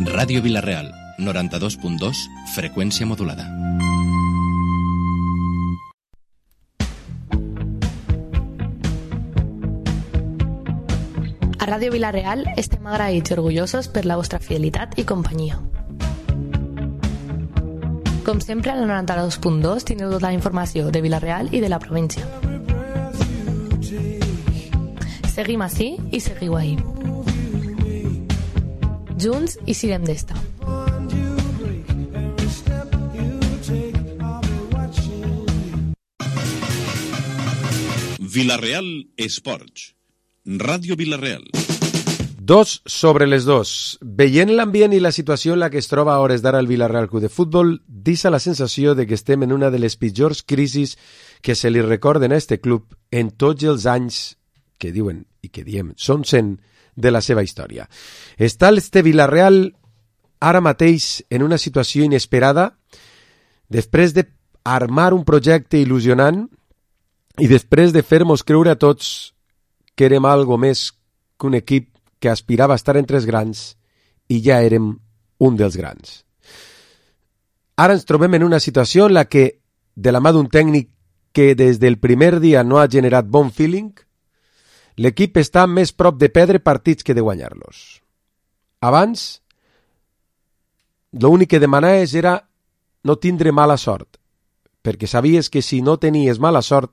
Ràdio Vila-real, 92.2, freqüència modulada. A Ràdio Vila-real estem agraïts i orgullosos per la vostra fidelitat i companyia. Com sempre, a la 92.2 tindreu tota la informació de Vila-real i de la província. Seguim ací i seguiu ahí. Junts i siguem d'esta. Vila-real Esports. Ràdio Vila-real. 2 sobre les 2. Veient l'ambient i la situació en la que es troba a hores d'ara el Vila-real Club de Futbol, deixa la sensació de que estem en una de les pitjors crisis que se li recorden a este club en tots els anys que diuen i que diem són 100 de la seva història. Està este Vila-real ara mateix en una situació inesperada després d'armar un projecte il·lusionant i després de fer-nos creure a tots que érem algo més que un equip que aspirava a estar entre els grans i ja érem un dels grans. Ara ens trobem en una situació en la que, de la mà d'un tècnic que des del primer dia no ha generat bon feeling, l'equip està més prop de perdre partits que de guanyar-los. Abans, l'únic que demanaves era no tindre mala sort, perquè sabies que si no tenies mala sort,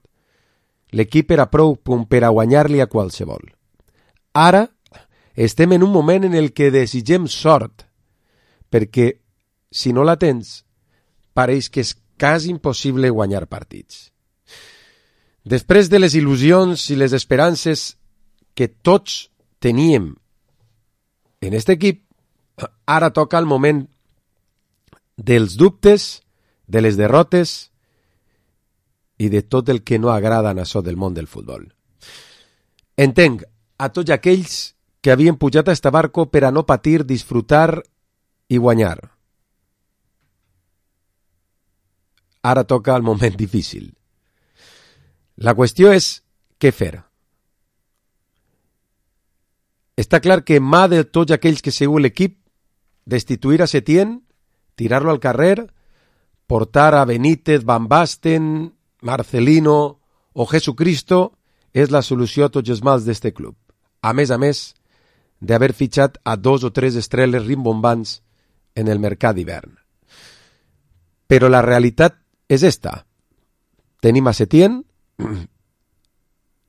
l'equip era prou per a guanyar-li a qualsevol. Ara estem en un moment en el que desitgem sort, perquè si no la tens, pareix que és quasi impossible guanyar partits. Després de les il·lusions i les esperances que tots teníem en aquest equip, ara toca el moment dels dubtes, de les derrotes i de tot el que no agrada en això del món del futbol. Entenc a tots aquells que havien pujat a este barco per a no patir, disfrutar i guanyar. Ara toca el moment difícil. La qüestió és què fer. Està clar que en mà de tots aquells que seguiu l'equip, destituir a Setién, tirar-lo al carrer, portar a Benítez, Van Basten, Marcelino o Jesucristo és la solució a tots els mals d'este club. A més d'haver fitxat a 2 o 3 estrelles rimbombants en el mercat d'hivern. Però la realitat és esta. Tenim a Setién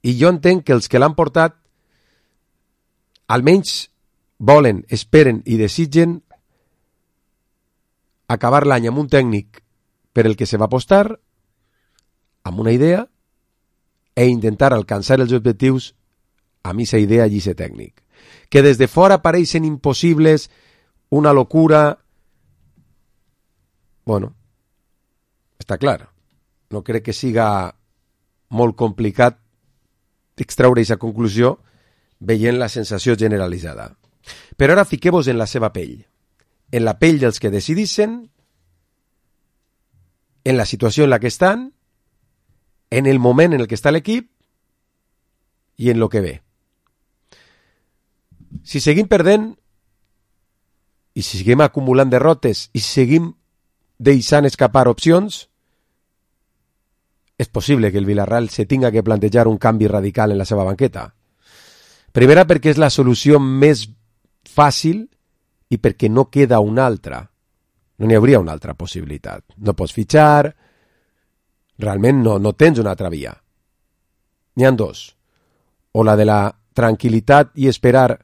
i jo entenc que els que l'han portat almenys volen, esperen i desitgen acabar l'any amb un tècnic per el que se va apostar, amb una idea, e intentar alcançar els objectius amb aquesta idea i aquest tècnic. Que des de fora pareixen impossibles, una locura. Bueno, està clar. No crec que siga molt complicat extraure aquesta conclusió veient la sensació generalitzada. Però ara fiqueu-vos en la seva pell. En la pell dels que decidissin, en la situació en la que estan, en el moment en el que està l'equip i en lo que ve. Si seguim perdent i si seguim acumulant derrotes i si seguim deixant escapar opcions, és possible que el Villarreal se tinga que plantejar un canvi radical en la seva banqueta. Primera, perquè és la solució més fàcil i perquè no queda una altra. No n'hi hauria una altra possibilitat. No pots fitxar, realment no tens una altra via. N'hi ha 2. O la de la tranquil·litat i esperar,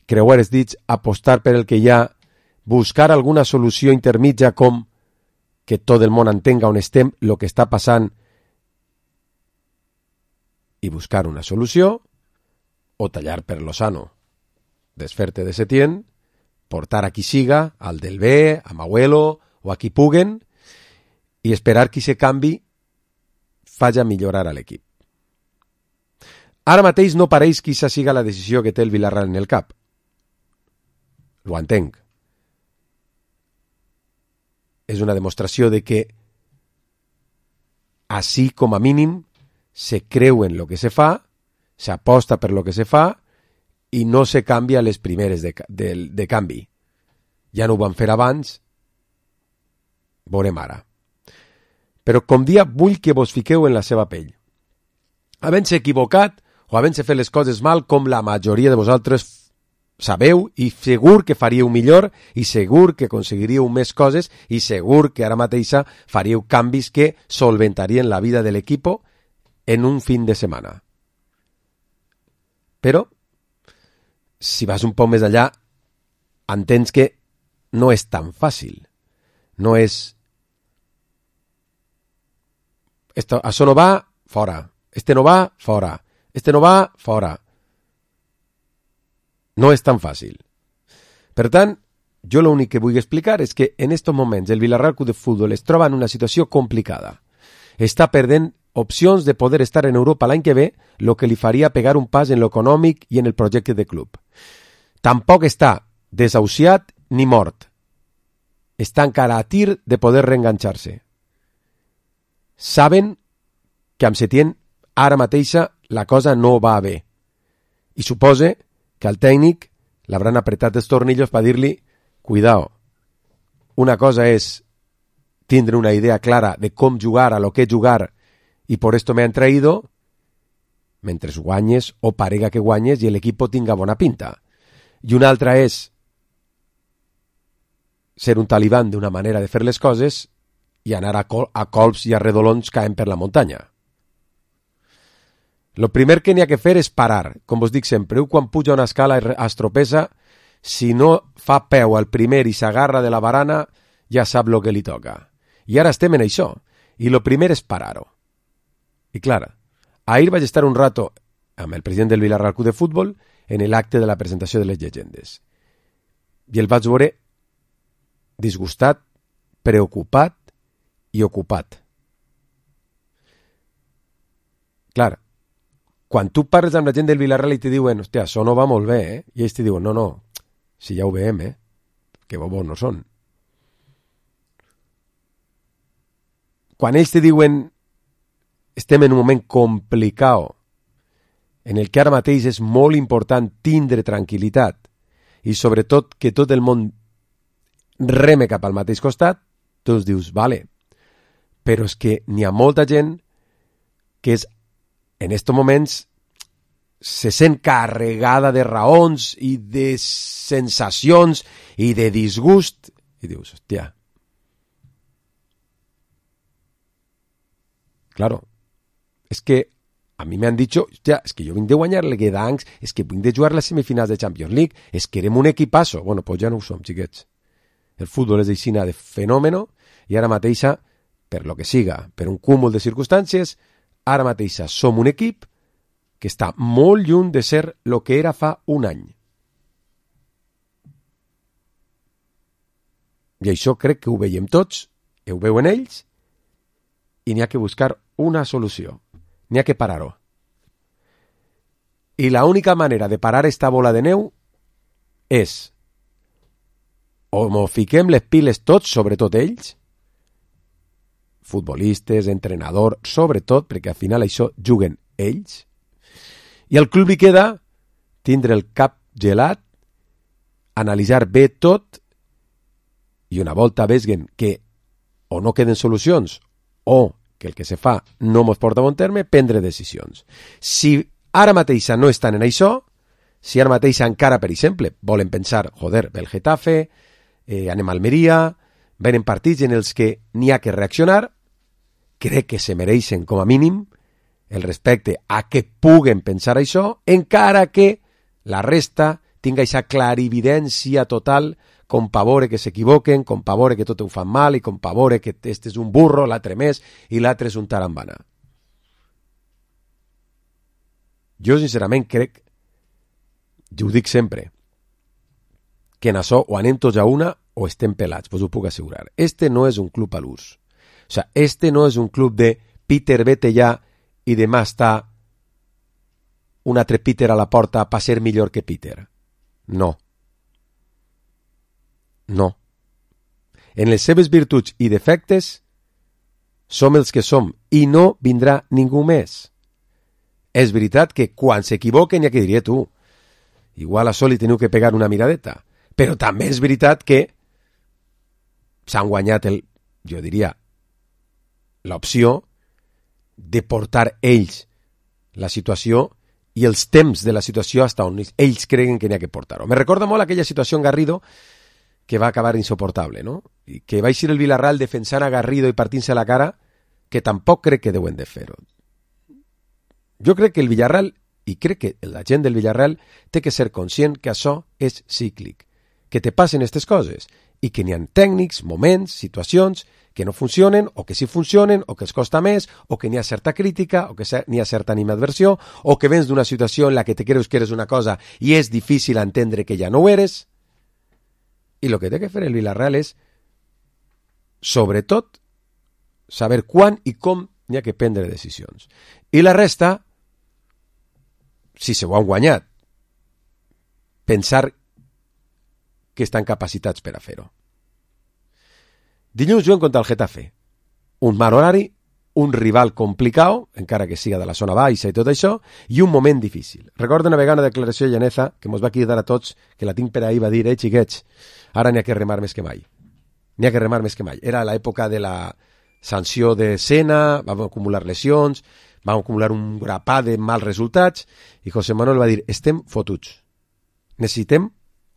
creuar els dits, apostar per el que hi ha, buscar alguna solució intermitja com que tot el món entenga on estem, el que està passant, i buscar una solució, o tallar per Lozano, desfer-te de Setién, portar a qui siga, al del B, a Mauelo o a qui puguen, i esperar que aquest canvi faci millorar a l'equip. Ara mateix no pareix que aquesta siga la decisió que té el Villarreal en el cap. Ho entenc. És una demostració de que així com a mínim se creu en lo que se fa, s'aposta per lo que se fa i no se canvia les primeres de canvi. ja no ho van fer abans, veurem ara. Però com dia vull que vos fiqueu en la seva pell. Havent-se equivocat o havent-se fet les coses mal com la majoria de vosaltres sabeu i segur que faríeu millor i segur que aconseguiríeu més coses i segur que ara mateixa faríeu canvis que solventarien la vida de l'equip en un fin de setmana. Però, si vas un poc més allà, entens que no és tan fàcil. No és... Això no va, fora. Este no va, fora. Este no va, fora. No és tan fàcil. Per tant, jo l'únic que vull explicar és que en estos moments el Villarreal Club de Fútbol es troba en una situació complicada. Està perdent opcions de poder estar en Europa l'any que ve, lo que li faria pegar un pas en l'econòmic i en el projecte de club. Tampoc està desahuciat ni mort. Està encara a tir de poder reenganxar-se. Saben que amb Setién ara mateixa la cosa no va bé. I supose que al tècnic l'hauran apretat els tornillos per dir-li cuidao, una cosa és tindre una idea clara de com jugar, a lo que jugar, i por esto me han traído, mentre guanyes o parega que guanyes i l'equip tinga bona pinta. I una altra és ser un talibán d'una manera de fer les coses i anar a colps i a redolons caent per la muntanya. Lo primer que n'hi ha que fer és parar. Com vos dic sempre, quan puja una escala es tropessa, si no fa peu al primer i s'agarra de la barana, ja sap lo que li toca. I ara estem en això. I lo primer és parar-ho. I clar, ahir vaig estar un rato amb el president del Villarreal Club de Futbol en l'acte de la presentació de les llegendes. I el vaig veure disgustat, preocupat i ocupat. Clar, quan tu parles amb la gent del Villarreal i te diuen, hòstia, això no va molt bé, i ells te diuen, no, si ja ho veiem, que bobos no són. Quan ells te diuen, estem en un moment complicat, en el que ara mateix és molt important tindre tranquil·litat, i sobretot que tot el món reme cap al mateix costat, tu us dius, vale, però és que n'hi ha molta gent que és en estos moments se sent carregada de raons i de sensacions i de disgust i dius, hòstia, claro, és que a mi m'han dit, hòstia, és que jo vinc de guanyar el Guedancs, és que vinc de jugar les semifinals de Champions League, és que érem un equipasso. Bueno, pues ja no ho som, xiquets. El futbol és d'aixina de fenòmeno i ara mateixa, per lo que siga, per un cúmul de circumstàncies, ara mateixa som un equip que està molt lluny de ser el que era fa un any. I això crec que ho veiem tots, ho veuen ells, i n'hi ha que buscar una solució. N'hi ha que parar-ho. I l'única manera de parar esta bola de neu és o mos fiquem les piles tots, sobretot ells, futbolistes, entrenador, sobretot, perquè al final això juguen ells, i al club li queda tindre el cap gelat, analitzar bé tot, i una volta veguen que o no queden solucions, o que el que se fa no mos porta a bon terme, prendre decisions. Si ara mateixa no estan en això, si ara mateixa encara, per exemple, volen pensar, joder, ve el Getafe, anem a Almeria, venen partits en els que n'hi ha que reaccionar, crec que se mereixen com a mínim el respecte a que puguen pensar això, encara que la resta tinga aquesta clarividència total, com pa veure que s'equivoquen, com pa veure que tot ho fan mal i com pa veure que este és un burro, l'altre més i l'altre és un tarambana. Jo sincerament crec, jo ho dic sempre, que en això o anem tots a una o estem pelats, vos ho puc assegurar. Este no és un club a l'ús. O sea, este no és un club de Peter, vete ja i demà està un altre Peter a la porta per ser millor que Peter. No. No. En les seves virtuts i defectes som els que som i no vindrà ningú més. És veritat que quan s'equivoquen, ja que diria tu, igual a sol li teniu que pegar una miradeta, però també és veritat que s'han guanyat, jo diria, l'opció de portar ells la situació i els temps de la situació fins on ells creguen que n'hi ha que portar-ho. Me recorda molt aquella situació en Garrido que va acabar insoportable, no? I que va eixir el Villarreal defensant a Garrido i partint-se la cara, que tampoc crec que deuen de fer-ho. Jo crec que el Villarreal, i crec que la gent del Villarreal té que ser conscient que això és cíclic, que te passen aquestes coses i que n'hi ha tècnics, moments, situacions que no funcionen o que sí funcionen o que els costa més o que n'hi ha certa crítica o que n'hi ha certa animadversió o que vens d'una situació en la que te creus que eres una cosa i és difícil entendre que ja no ho eres. I el que té que fer el Villarreal és, sobretot, saber quan i com n'hi ha que prendre decisions. I la resta, si se ho han guanyat, pensar que estan capacitats per a fer-ho. Dilluns juguen contra el Getafe. Un mal horari, un rival complicat, encara que siga de la zona baixa i tot això, i un moment difícil. Recordo una vegada una declaració de Llaneza que mos va cridar a tots, que la tinc per ahir, va dir, xiquets, ara n'hi ha que remar més que mai. N'hi ha que remar més que mai. Era l'època de la sanció de Sena, vam acumular lesions, vam acumular un grapat de mals resultats, i José Manuel va dir, estem fotuts. Necessitem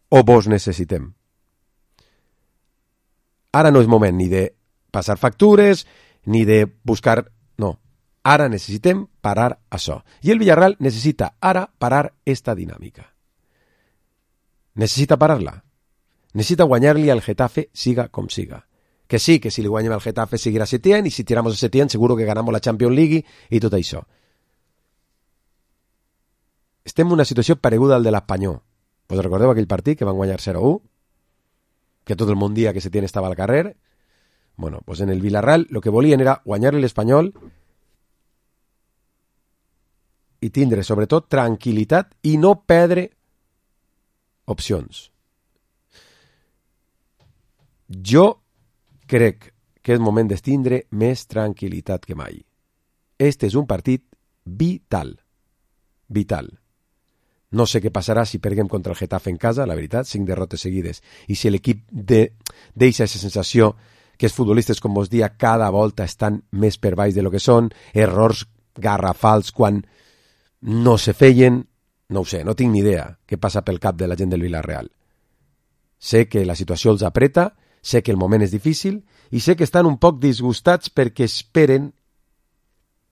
o vos necessitem. Ara no és moment ni de passar factures, ni de buscar... No, ara necessitem parar això. I el Villarreal necessita ara parar esta dinàmica. Necessita parar-la. Necessita guanyar-li al Getafe siga com siga. Que sí, que si li guanyem al Getafe seguirà Setién, i si tiramos a Setién seguro que ganamos la Champions League i tot això. Estem en una situació pareguda al de l'Espanyol. Us recordeu aquell partit que van guanyar 0-1? Que tot el món dia que Setién estava al carrer? Bueno, pues en el Villarreal lo que volien era guanyar l'Espanyol i tindre, sobretot, tranquil·litat i no perdre opcions. Jo crec que és moment d'estindre més tranquil·litat que mai. Este és un partit vital. Vital. No sé què passarà si perguem contra el Getafe en casa, la veritat, 5 derrotes seguides. I si l'equip deixa aquesta sensació que els futbolistes, com vos dia, cada volta estan més per baix de lo que són, errors garrafals quan no se feien, no ho sé, no tinc ni idea què passa pel cap de la gent del Villarreal. Sé que la situació els apreta, sé que el moment és difícil i sé que estan un poc disgustats perquè esperen,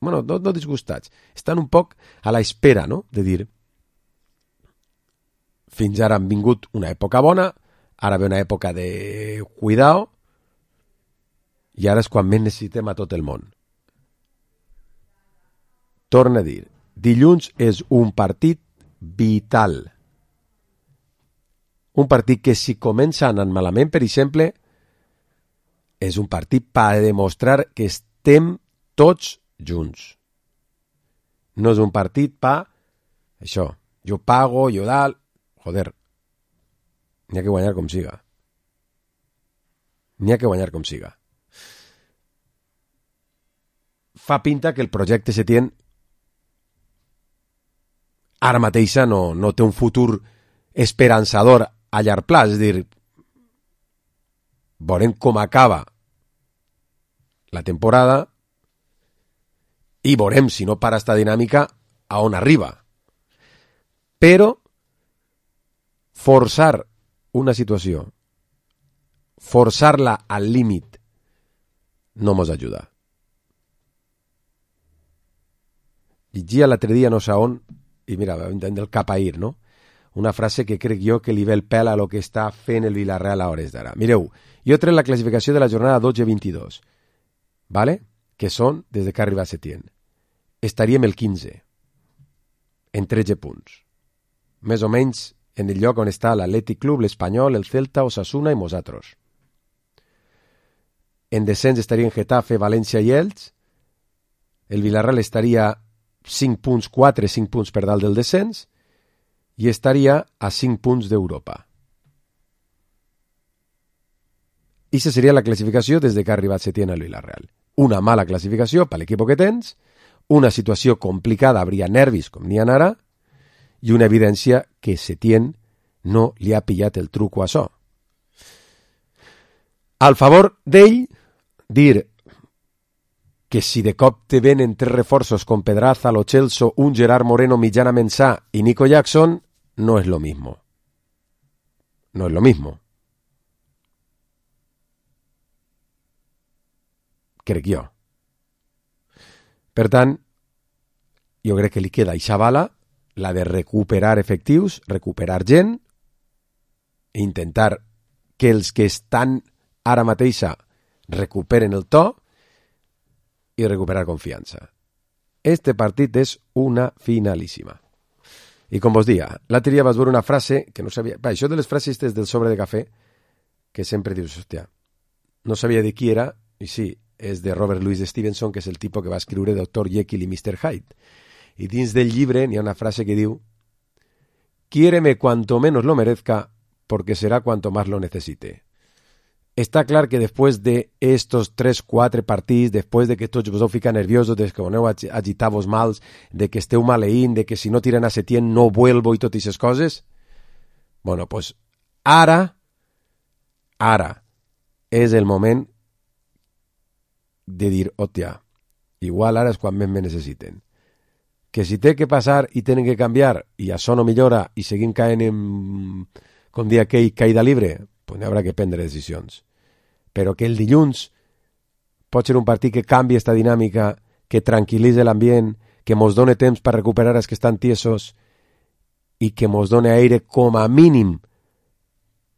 bueno, no disgustats, estan un poc a la espera, no?, de dir, fins ara han vingut una època bona, ara ve una època de cuidao, i ara és quan més necessitem a tot el món. Torna a dir, dilluns és un partit vital. Un partit que si comença anant malament, per exemple, és un partit per demostrar que estem tots junts. No és un partit per això, jo pago, jo dalt. Joder, n'hi ha que guanyar com siga. N'hi ha que guanyar com siga. Fa pinta que el projecte Setién ara mateixa no té un futur esperançador a llarg plaç. És dir, veurem com acaba la temporada i veurem, si no para esta dinàmica, a on arriba. Però forçar una situació, forçar-la al límit, no mos ajuda. Llegia l'altre dia no sé on, i mira, vam entendre el cap ahir, no? Una frase que crec jo que li ve el pèl a lo que està fent el Villarreal a hores d'ara. Mireu, jo trec la classificació de la jornada 12-22, ¿vale? Que són des de que ha arribat Setién. Estaríem el 15, en 13 punts. Més o menys en el lloc on està l'Atlètic Club, l'Espanyol, el Celta, Osasuna i nosaltres. En descens estarien Getafe, València i Elx. El Villarreal estaria 5 punts, 4-5 punts per dalt del descens i estaria a 5 punts d'Europa. I aquesta seria la classificació des de que ha arribat Setién al Villarreal. Una mala classificació per l'equip que tens, una situació complicada, habria nervis com n'hi ha ara, i una evidència que Setién no li ha pillat el truco a això. al favor d'ell, dir que si de cop te venen 3 reforços con Pedraza, Lo Celso, un Gerard Moreno mitjanament sa y Nico Jackson, no es lo mismo. No es lo mismo. Crec jo. Per tant, jo crec que li queda eixa bala, la de recuperar efectius, recuperar gent, intentar que els que estan ara mateixa recuperen el to i recuperar confiança. Este partit és una finalíssima. I com vos dia, l'altre dia vas veure una frase que no sabia... Va, això de les frases del sobre de cafè, que sempre dius, hòstia, no sabia de qui era, i sí, és de Robert Louis Stevenson, que és el tipus que va escriure Dr. Jekyll i Mr. Hyde. I dins del llibre n'hi ha una frase que diu: «Quiéreme cuanto menos lo merezca, porque será cuanto más lo necesite». Està clar que després d'estos 3-4 partits, després de que tots vos heu ficat nerviosos, de que vos aneu agitar-vos mals, de que esteu maleint, de que si no tiren a Setién no vuelvo i totes aquestes coses, bueno, pues ara és el moment de dir, hòstia, igual ara és quan més me necessiten. Que si té que passar i tenen que canviar i això no millora i seguim caent en, com dia aquell, caïda libre, pues n'hi haurà que prendre decisions. Però que el dilluns pot ser un partit que canvi esta dinàmica, que tranquil·litze l'ambient, que mos done temps per recuperar els que estan tiesos i que mos done aire com a mínim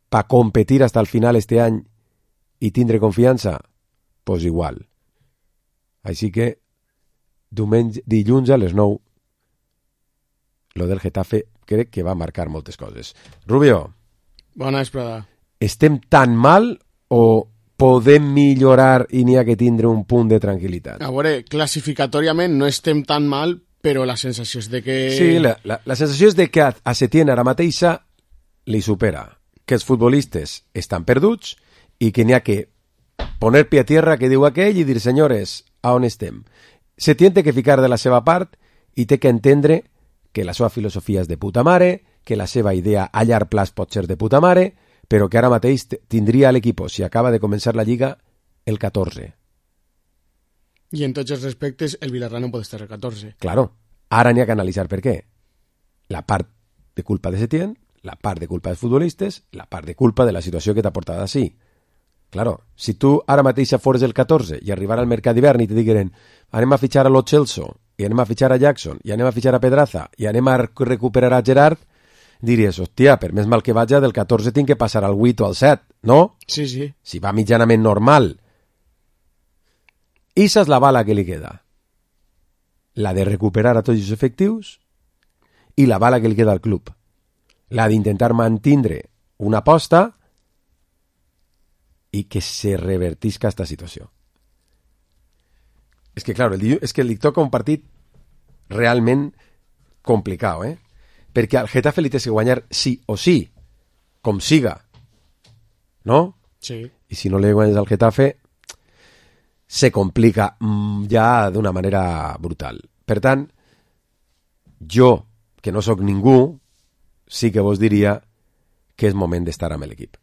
per competir hasta el final este any i tindre confiança, pues igual. Així que dilluns a les 9 lo del Getafe crec que va marcar moltes coses. Rubio. Bona vesprada. Estem tan mal o podem millorar i n'hi ha que tindre un punt de tranquil·litat? A veure, classificatòriament no estem tan mal, però la sensació és de que... Sí, la sensació és de que a Setién ara mateixa li supera, que els futbolistes estan perduts i que n'hi ha que poner pie a tierra, que diu aquell, i dir, senyores, a on estem? Setién té que ficar de la seva part i té que entendre que la seva filosofia és de puta mare, que la seva idea a llarg plaç pot ser de puta mare, però que ara mateix tindria l'equip, si acaba de començar la Lliga, el 14. I en tots els respectes, el Villarreal no pot estar el 14. Claro, ara n'hi ha que analitzar per què. La part de culpa de Setién, la part de culpa dels futbolistes, la part de culpa de la situació que t'ha portat així. Claro, si tu ara mateix fores el 14 i arribar al mercat d'hivern i te digueren anem a fitxar a Lo Celso, i anem a fitxar a Jackson, i anem a fitxar a Pedraza, i anem a recuperar a Gerard, diries, hòstia, per més mal que vaja, del 14 tinc que passar al 8 o al 7, no? Sí, sí. Si va mitjanament normal. Esa és la bala que li queda. La de recuperar a tots els efectius i la bala que li queda al club. La d'intentar mantindre una aposta i que se revertisca esta situació. És que, clar, és que li toca un partit realment complicat, perquè al Getafe li té que guanyar sí o sí, com siga, no? Sí. I si no li guanyes al Getafe, se complica ja d'una manera brutal. Per tant, jo, que no sóc ningú, sí que vos diria que és moment d'estar amb l'equip.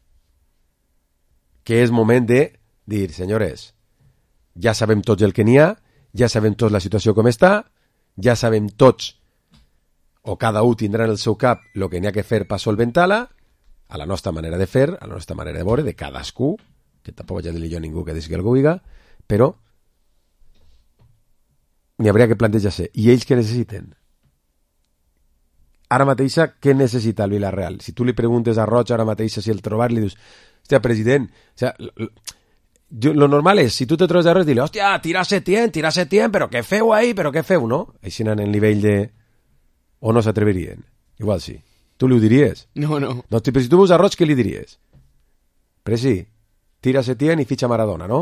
Que és moment de dir, senyores, ja sabem tots el que n'hi ha, ja sabem tots la situació com està, ja sabem tots, o cada un tindrà en el seu cap el que n'hi ha que fer per solventar-la, a la nostra manera de fer, a la nostra manera de veure, de cadascú, que tampoc ja dir jo a ningú que digui que algú diga, però n'hi hauria que plantejar-se. I ells què necessiten? Ara mateixa, què necessita el Villarreal? Si tu li preguntes a Roig ara mateixa si el trobar, li dius, hòstia, president, o sea, lo normal és, si tu te trobes a res, dile, hòstia, tira Setién, però què feu ahí, però què feu, no? Així en el nivell de... O no s'atreverien? Igual sí. Tu li ho diries? No, no. No, però si tu veus a Roig, què li diries? Presi, tira Setién i fitxa Maradona, no?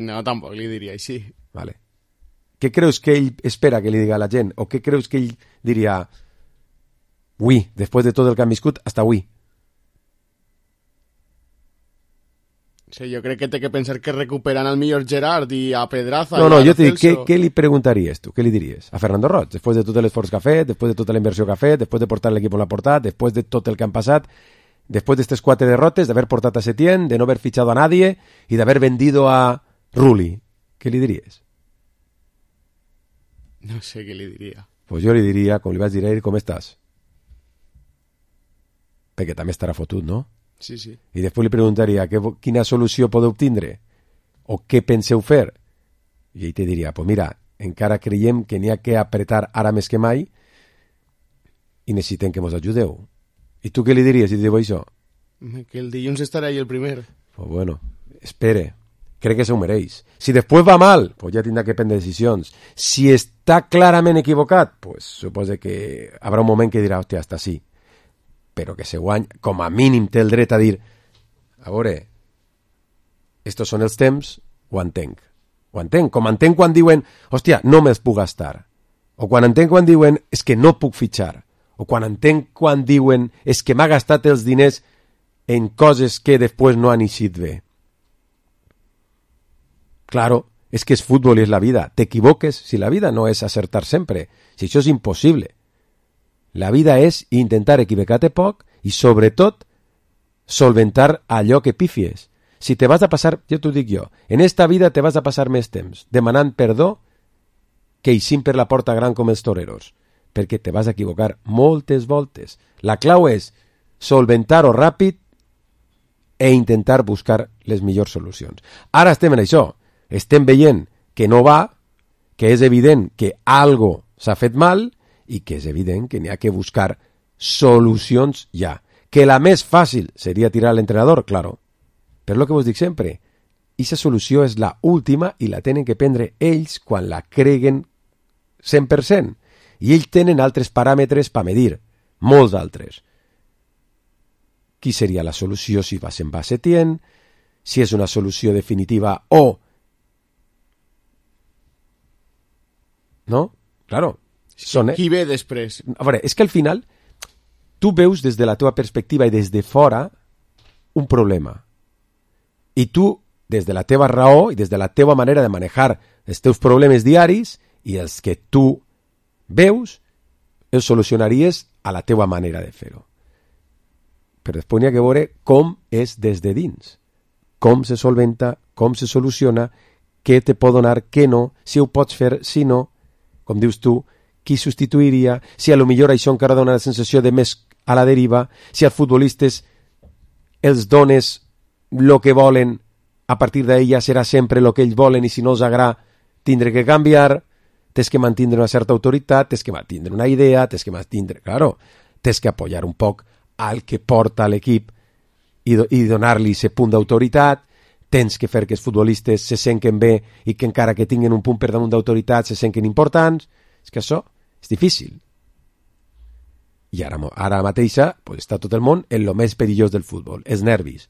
No, tampoc li diria així. Vale. Què creus que ell espera que li diga a la gent? O què creus que ell diria ui, després de tot el que han viscut, hasta ui? Sí, jo crec que té que pensar que recuperan al millor Gerard i a Pedraza. No, jo t'he dit, què li preguntaries tu? Què li diries? A Fernando Roig, després de tot l'esforç que ha fet, després de tota la inversió que ha fet, després de portar l'equip on l'ha portat, després de tot el que han passat, después de estas 4 derrotes, de haber portat a Setién, de no haber fichado a nadie y de haber vendido a Rulli? ¿Qué le diries? No sé què li diria. Pues jo li diria, com li vaig dir a ell, com estàs? Perquè també estarà fotut, no? Sí, sí. I després li preguntaria quina solució podeu obtindre o què penseu fer. I ell te diria, pues mira, encara creiem que n'hi ha que apretar ara més que mai i necessitem que mos ajudeu. I tu què li diries si te diu això? Que el dilluns estarà ahí el primer. Pues bueno, espere. Crec que se ho mereix. Si després va mal, pues ja tindrà que prendre decisions. Si està clarament equivocat, pues suposa que haurà un moment que dirà, hòstia, hasta sí. Però que se guany, com a mínim té el dret a dir, a veure, estos són els temps, ho entenc. Ho entenc. Com entenc quan diuen, hòstia, no me'ls puc gastar. O quan entenc quan diuen, és que no puc fitxar. O quan entenc quan diuen, és que m'ha gastat els diners en coses que després no han eixit bé. Claro, es que es fútbol y es la vida. Te equivoques si la vida no es acertar siempre. Si això és impossible. La vida és intentar equivocar-te poc i, sobretot, solventar allò que pifies. Si te vas a passar, ja t'ho dic jo, en esta vida te vas a passar més temps demanant perdó que eixint per la porta gran com els toreros, perquè te vas a equivocar moltes voltes. La clau és solventar-ho ràpid e intentar buscar les millors solucions. Ara estem en això. Estem veient que no va, que és evident que algo s'ha fet mal i que és evident que n'hi ha que buscar solucions ja. Que la més fàcil seria tirar a l'entrenador, claro. Però el que vos dic sempre, aquesta solució és la última i la tenen que prendre ells quan la creguen 100%. I ells tenen altres paràmetres per medir, molts altres. Qui seria la solució si se'n va Setién, si és una solució definitiva o no? Claro. Qui ve després? A veure, és que al final tu veus des de la teva perspectiva i des de fora un problema. I tu, des de la teva raó i des de la teva manera de manejar els teus problemes diaris i els que tu veus, els solucionaries a la teva manera de fer-ho. Però després n'hi ha que veure com és des de dins. Com se solventa, com se soluciona, què te pot donar, què no, si ho pots fer, si no, com dius tu, qui substituiria, si a lo millor això encara dona la sensació de més a la deriva, si als futbolistes els dones el que volen, a partir d'ella serà sempre el que ells volen i si no els agrada tindre que canviar, tens que mantindre una certa autoritat, tens que mantindre una idea, tens que mantindre, claro, tens que apoyar un poc al que porta l'equip i donar-li aquest punt d'autoritat, tens que fer que els futbolistes se senten bé i que encara que tinguin un punt per damunt d'autoritat se senten importants. És que això és difícil. I ara mateixa pues, està tot el món en lo més perillós del futbol, els nervis.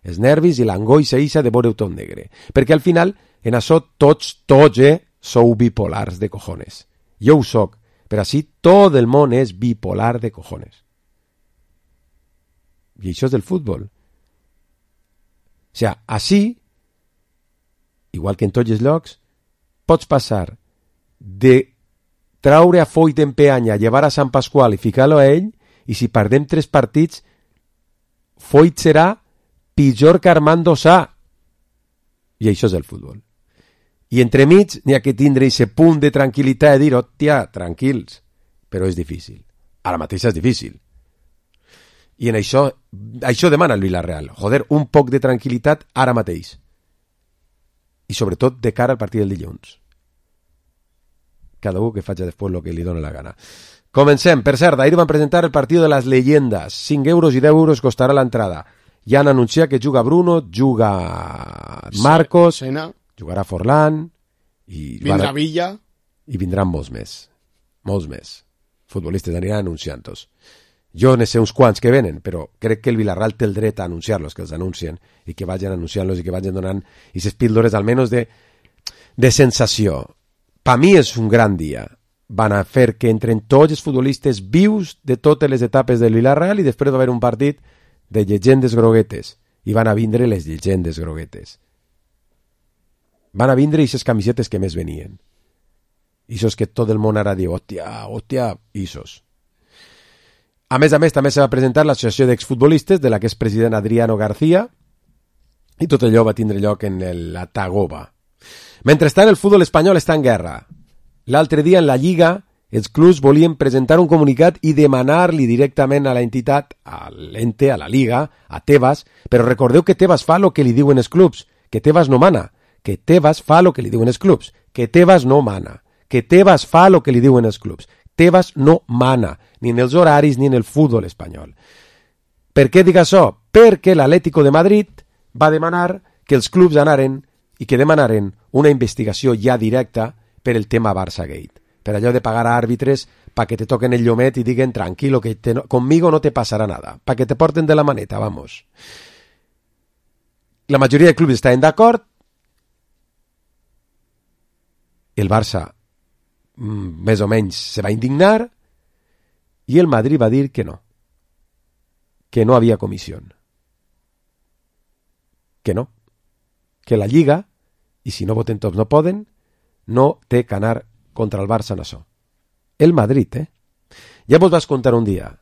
Els nervis i l'angoixa eixa de veure-ho tot negre. Perquè al final, en això tots, sou bipolars de cojones. Jo ho soc, però així tot el món és bipolar de cojones. I això és del futbol. O sigui, així, igual que en tots els llocs, pots passar de traure a Foyt en Peanya, llevar a Sant Pasqual i ficar-lo a ell, i si perdem 3 partits, Foyt serà pitjor que Armando Sá. I això és el futbol. I entremig n'hi ha que tindre aquest punt de tranquil·litat i dir, hòstia, tranquils, però és difícil. Ara mateix és difícil. I en això demana el Villarreal. Joder, un poc de tranquil·litat ara mateix. I sobretot de cara al partit del dilluns. Cada un que faci després el que li doni la gana. Comencem. Per cert, ahir van presentar el partit de les llegendes. 5 euros i 10 euros costarà l'entrada. Ja han anunciat que juga Bruno, juga Marcos, jugarà Forlán, i vindrà Villa. I vindran molts més. Molts més. Futbolistes aniran anunciant-los. Jo ne sé uns quants que venen, però crec que el Villarreal té el dret a anunciar-los, que els anuncien, i que vagin anunciant-los i que vagin donant aquestes píldores almenys de sensació. Per mi és un gran dia. Van a fer que entren tots els futbolistes vius de totes les etapes del Villarreal i després va haver un partit de llegendes groguetes. I van a vindre les llegendes groguetes. Van a vindre aquestes camisetes que més venien. Ixos que tot el món ara diu, hòstia, ixos. A més, també se va presentar l'Associació d'Exfutbolistes, de la que és president Adriano García, i tot allò va tindre lloc en la Tagoba. Mentrestant, el futbol espanyol està en guerra. L'altre dia, en la Lliga, els clubs volien presentar un comunicat i demanar-li directament a l'entitat, a l'ente, a la Liga, a Tebas, però recordeu que Tebas fa el que li diuen els clubs, que Tebas no mana, que Tebas fa el que li diuen els clubs, que Tebas no mana, que Tebas fa el que li diuen els clubs. Tebas no mana, ni en els horaris ni en el futbol espanyol. Per què dic això? Perquè l'Atlético de Madrid va demanar que els clubs anaren i que demanaren una investigació ja directa per el tema Barça-Gate, per allò de pagar a àrbitres para que te toquen el llomet y digan tranquilo que conmigo no te pasará nada, para que te porten de la maneta, vamos. La majoria de clubs estaven d'acord, el Barça més o menys se va indignar i el Madrid va dir que no havia comissió, que no, que la Lliga, i si no voten tots no poden, no té que anar contra el Barça en això. El Madrid, Ja vos vas contar un dia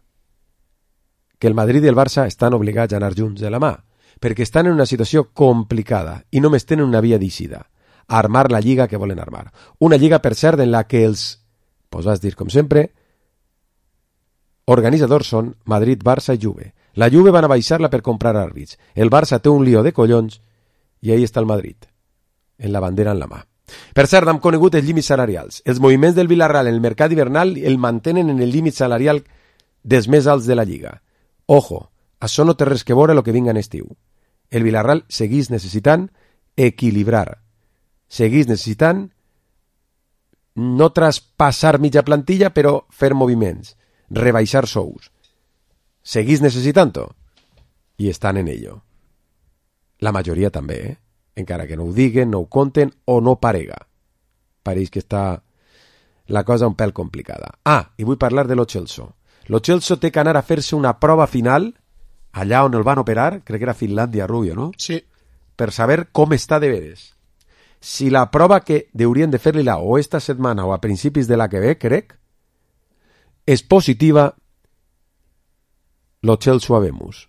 que el Madrid i el Barça estan obligats a anar junts de la mà, perquè estan en una situació complicada i només tenen una via d'eixida, armar la lliga que volen armar. Una lliga, per cert, en la que els, pues vas dir com sempre, organitzadors són Madrid, Barça i Juve. La Juve van a baixar-la per comprar àrbits. El Barça té un lío de collons i ahí està el Madrid, en la bandera en la mà. Per cert, hem conegut els límits salarials. Els moviments del Villarreal en el mercat hivernal el mantenen en el límit salarial dels més alts de la Lliga. Ojo, això no té res que veure el que vinga en estiu. El Villarreal seguís necessitant equilibrar. Seguís necessitant no traspassar mitja plantilla, però fer moviments, rebaixar sous. Seguís necessitant-ho i estan en ello. La majoria també, encara que no ho diguen, no ho conten o no parega. Pareix que està la cosa un pèl complicada. I vull parlar de lo Chelsea. Lo Chelsea té que anar a fer-se una prova final allà on el van operar, crec que era Finlàndia, Rubio, no? Sí. Per saber com està de veres. Si la prova que haurien de fer-li-la o esta setmana o a principis de la que ve, crec, és positiva, lo Chelsea habemus.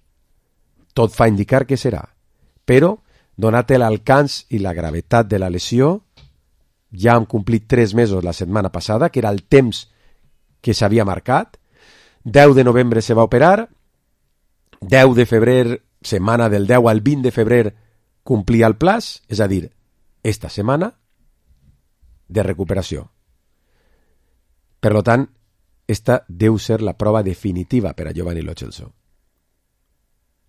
Tot fa indicar que serà. Però, donat l'alcance i la gravetat de la lesió, ja hem complit 3 mesos la setmana passada, que era el temps que s'havia marcat. 10 de novembre se va operar, 10 de febrer, setmana del 10 al 20 de febrer, complia el plaç, és a dir, esta setmana de recuperació. Per tant, esta deu ser la prova definitiva per a Giovanni Lo Celso.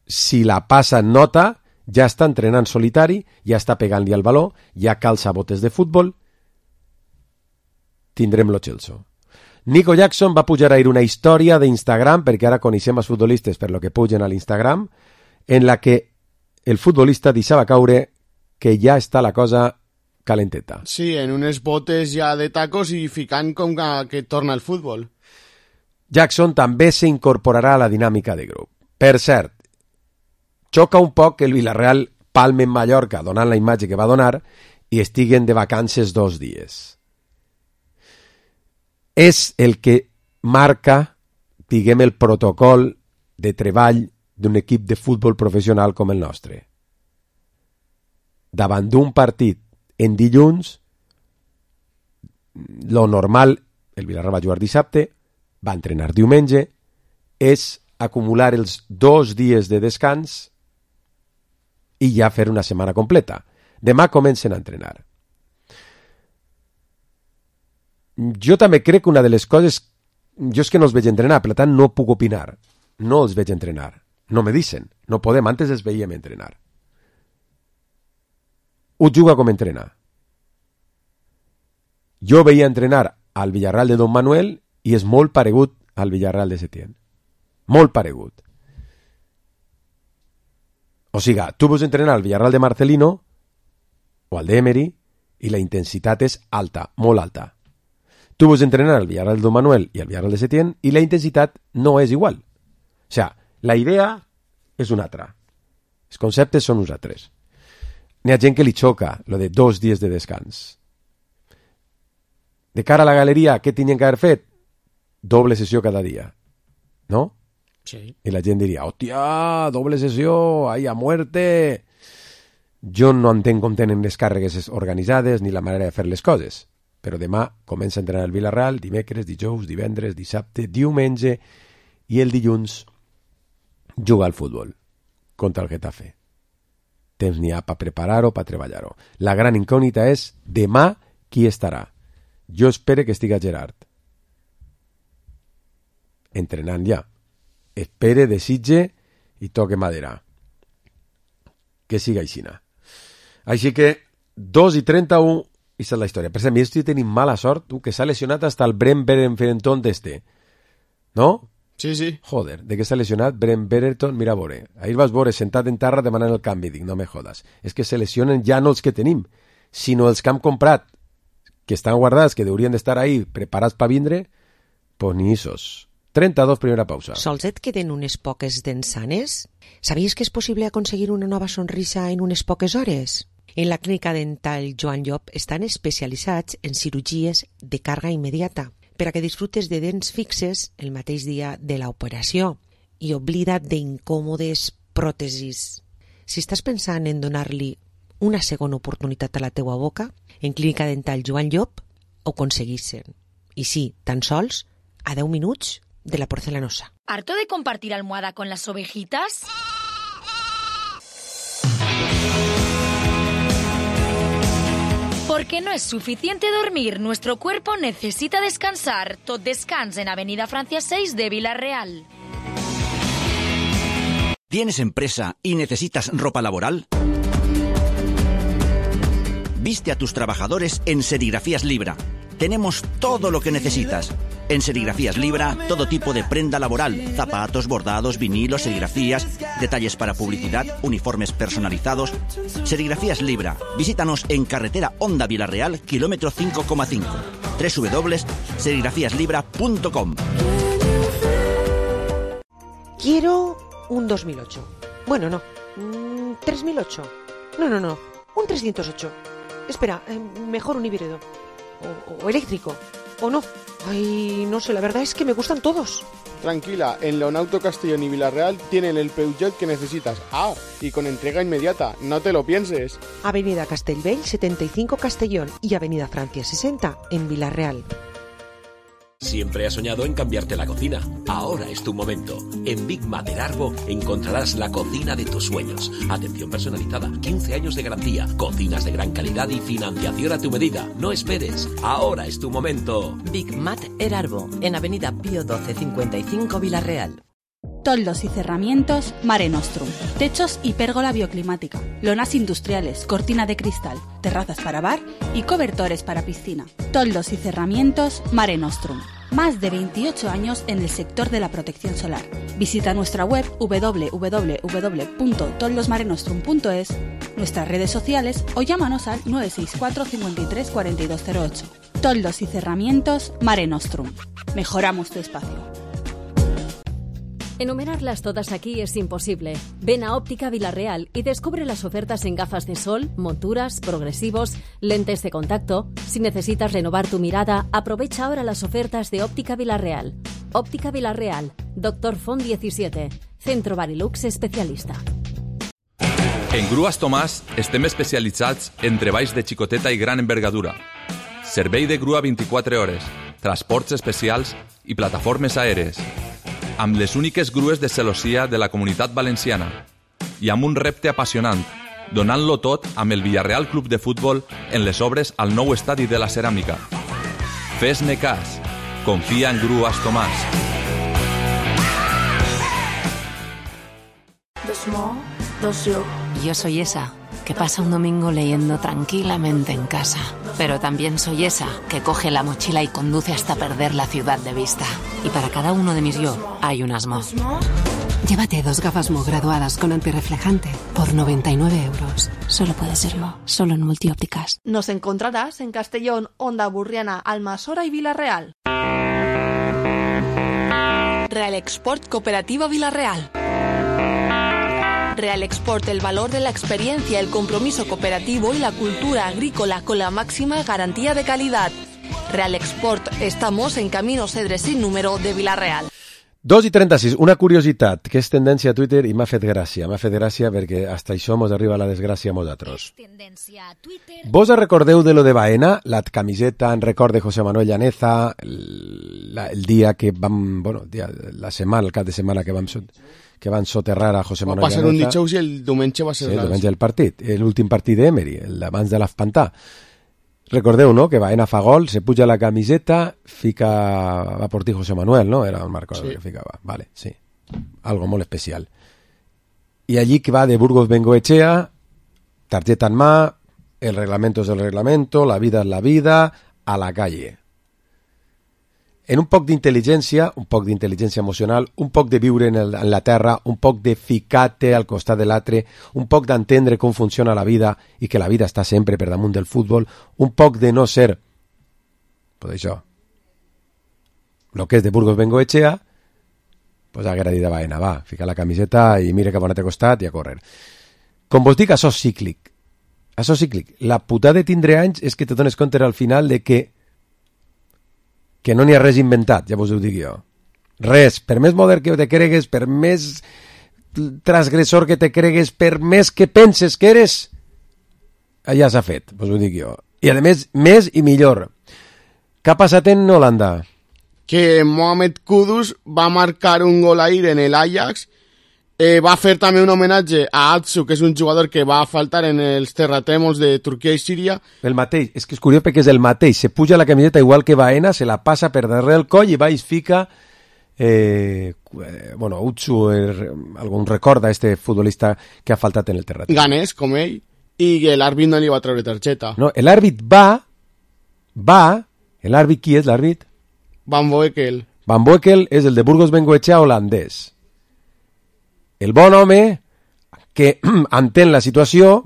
Si la passa en nota, ja està entrenant solitari, ja està pegant-li al baló, ja calça botes de futbol, tindrem Lo Celso. Nico Jackson va pujar ahir una història d'Instagram, perquè ara coneixem els futbolistes per lo que pugen a l'Instagram, en la que el futbolista deixava caure que ja està la cosa calenteta. Sí, en unes botes ja de tacos i ficant com que torna el futbol. Jackson també s'incorporarà a la dinàmica de grup. Per cert, xoca un poc que el Villarreal palme en Mallorca donant la imatge que va donar i estiguen de vacances 2 dies. És el que marca, diguem, el protocol de treball d'un equip de futbol professional com el nostre. Davant d'un partit en dilluns, lo normal, el Villarreal va jugar dissabte, va entrenar diumenge, és acumular els 2 dies de descans i ja fer una setmana completa. Demà comencen a entrenar. Jo també crec que una de les coses... Jo és que no els veig entrenar, per tant no puc opinar. No els veig entrenar. No me dicen. No podem, antes els veiem entrenar. Ho juga com entrena. Jo veia entrenar al Villarreal de Don Manuel i és molt paregut al Villarreal de Setién. Molt paregut. O sigui, tu vols entrenar al Villarreal de Marcelino o al d'Emery i la intensitat és alta, molt alta. Tu vols entrenar al Villarreal de Don Manuel i al Villarreal de Setién i la intensitat no és igual. O sigui, la idea és una altra. Els conceptes són uns altres. N'hi ha gent que li xoca lo de 2 dies de descans. De cara a la galeria, què tenien que haver fet? Doble sessió cada dia. No? Sí. I la gent diria, hòstia, doble sessió, ai, a muerte. Jo no entenc com tenen les càrregues organitzades ni la manera de fer les coses, però demà comença a entrenar el Villarreal, dimecres, dijous, divendres, dissabte, diumenge, i el dilluns juga al futbol contra el Getafe. Temps n'hi ha per preparar-ho, per treballar-ho. La gran incògnita és demà qui estarà. Jo espero que estiga Gerard entrenant ja. Espere, desitge i toque madera. Que siga aixina. Així que 2:31 i és la història. Per exemple, jo estic tenint mala sort, tu, que s'ha lesionat hasta el Brent Berenton d'este. No? Sí. Joder, de què s'ha lesionat Brent Berenton? Mira, veure. Ahir vas veure sentat en terra demanant el canvi. Dic, no me jodas. És que se lesionen ja no els que tenim, sinó els que hem comprat, que estan guardats, que haurien d'estar ahí preparats per vindre, pues ni isos. 32, primera pausa. Sols et queden unes poques dents sanes? Sabies que és possible aconseguir una nova sonrisa en unes poques hores? En la clínica dental Joan Llop estan especialitzats en cirurgies de càrrega immediata per a que disfrutes de dents fixes el mateix dia de l'operació i oblida't d'incòmodes pròtesis. Si estàs pensant en donar-li una segona oportunitat a la teua boca, en clínica dental Joan Llop ho aconseguissin. I sí, tan sols a 10 minuts de la porcelanosa. ¿Harto de compartir almohada con las ovejitas? Porque no es suficiente dormir, nuestro cuerpo necesita descansar. Tot Descans en Avenida Francia 6 de Villarreal. ¿Tienes empresa y necesitas ropa laboral? Viste a tus trabajadores en Serigrafías Libra. Tenemos todo lo que necesitas. En Serigrafías Libra, todo tipo de prenda laboral, zapatos, bordados, vinilos, serigrafías, detalles para publicidad, uniformes personalizados. Serigrafías Libra. Visítanos en carretera Honda Villarreal, kilómetro 5,5. www.serigrafíaslibra.com. Quiero un 2008. Bueno, no. 3008. No. Un 308. Espera, mejor un híbrido. O eléctrico. O no. Ay, no sé, la verdad es que me gustan todos. Tranquila, en Leonauto Castellón y Villarreal tienen el Peugeot que necesitas. Y con entrega inmediata, no te lo pienses. Avenida Castellbell 75 Castellón y Avenida Francia 60 en Villarreal. Siempre has soñado en cambiarte la cocina. Ahora es tu momento. En Big Mater Arbo encontrarás la cocina de tus sueños. Atención personalizada, 15 años de garantía, cocinas de gran calidad y financiación a tu medida. No esperes. Ahora es tu momento. Big Mater Arbo, en Avenida Pío 12 55 Villarreal. Toldos y cerramientos Mare Nostrum. Techos y pérgola bioclimática. Lonas industriales, cortina de cristal, terrazas para bar y cobertores para piscina. Toldos y cerramientos Mare Nostrum. Más de 28 años en el sector de la protección solar. Visita nuestra web www.toldosmarenostrum.es, nuestras redes sociales o llámanos al 964 53 4208. Toldos y cerramientos Mare Nostrum. Mejoramos tu espacio. Enumerarlas todas aquí es imposible. Ven a Óptica Villarreal y descubre las ofertas en gafas de sol, monturas, progresivos, lentes de contacto. Si necesitas renovar tu mirada, aprovecha ahora las ofertas de Óptica Villarreal. Óptica Villarreal, Dr. Font 17, Centro Barilux especialista. En Grues Tomàs estem especialitzats en treballs de xicoteta i gran envergadura. Servei de grua 24 hores, transports especials i plataformes aèries. Amb les úniques grues de celossia de la Comunitat Valenciana i amb un repte apassionant, donant-lo tot amb el Villarreal Club de Futbol en les obres al nou estadi de la Ceràmica. Fes-ne cas. Confia en Grues Tomàs. Yo soy esa que pasa un domingo leyendo tranquilamente en casa. Pero también soy esa que coge la mochila y conduce hasta perder la ciudad de vista. Y para cada uno de mis yo hay un Mo. Llévate 2 gafas Mo graduadas con antirreflejante por 99 euros. Solo puede ser Mo, solo en Multiópticas. Nos encontrarás en Castellón, Honda Burriana, Almasora y Villarreal. Real Export Cooperativa Villarreal. Real Export, el valor de la experiencia, el compromiso cooperativo y la cultura agrícola con la máxima garantía de calidad. Real Export, estamos en Camino Cedres sin número de Villarreal. 2:36, una curiositat que és tendència a Twitter i m'ha fet gràcia perquè hasta això mos arriba la desgràcia a nosaltres. Vos recordeu de lo de Baena, la camiseta en record de José Manuel Llaneza, el dia que vam, el cap de setmana que van soterrar a José Manuel Llaneza. Va ser un dijous i el diumenge va ser... Sí, el diumenge del partit, l'últim partit d'Emery, abans de l'Afpantà. Recordeu, no?, que Baena fa gol, se puja la camiseta, va por ti José Manuel, ¿no? Era un marco que ficava. Vale, sí. Algo molt especial. Y allí que va de Burgos Bengoechea, tarjeta en mà, el reglamento es el reglamento, la vida es la vida, a la calle. En un poc d'intel·ligència emocional, un poc de viure en la terra, un poc de ficar-te al costat de l'altre, un poc d'entendre com funciona la vida i que la vida està sempre per damunt del futbol, un poc de no ser, pues això, lo que és de Burgos Bengoechea, pues haguera dit a Baena, va, fica la camiseta i mira cap on t'ha costat i a córrer. Com vos dic, això és cíclic. Això és cíclic. La putada de tindre anys és que te dones compte al final de que no n'hi ha res inventat, ja vos ho dic jo. Res, per més modern que te cregues, per més transgressor que te cregues, per més que penses que eres, ja s'ha fet, vos ho dic jo. I a més, més i millor. Què ha passat en Holanda? Que Mohamed Kudus va marcar un gol ahir en el Ajax, va fer també un homenatge a Atsu, que és un jugador que va faltar en els terratrèmols de Turquia i Síria. El mateix, és que és curiós perquè és el mateix, se puja la camiseta igual que Baena, se la passa per darrere el coll i va i fica Utsu, algun recorda este futbolista que ha faltat en el terratrèmol. Ganés, com ell, i l'àrbit no li va treure targeta. No, l'àrbit l'àrbit qui és l'àrbit? Van Boekel. Van Boekel és el de Burgos Bengoechea holandès. El bon home que entén la situació,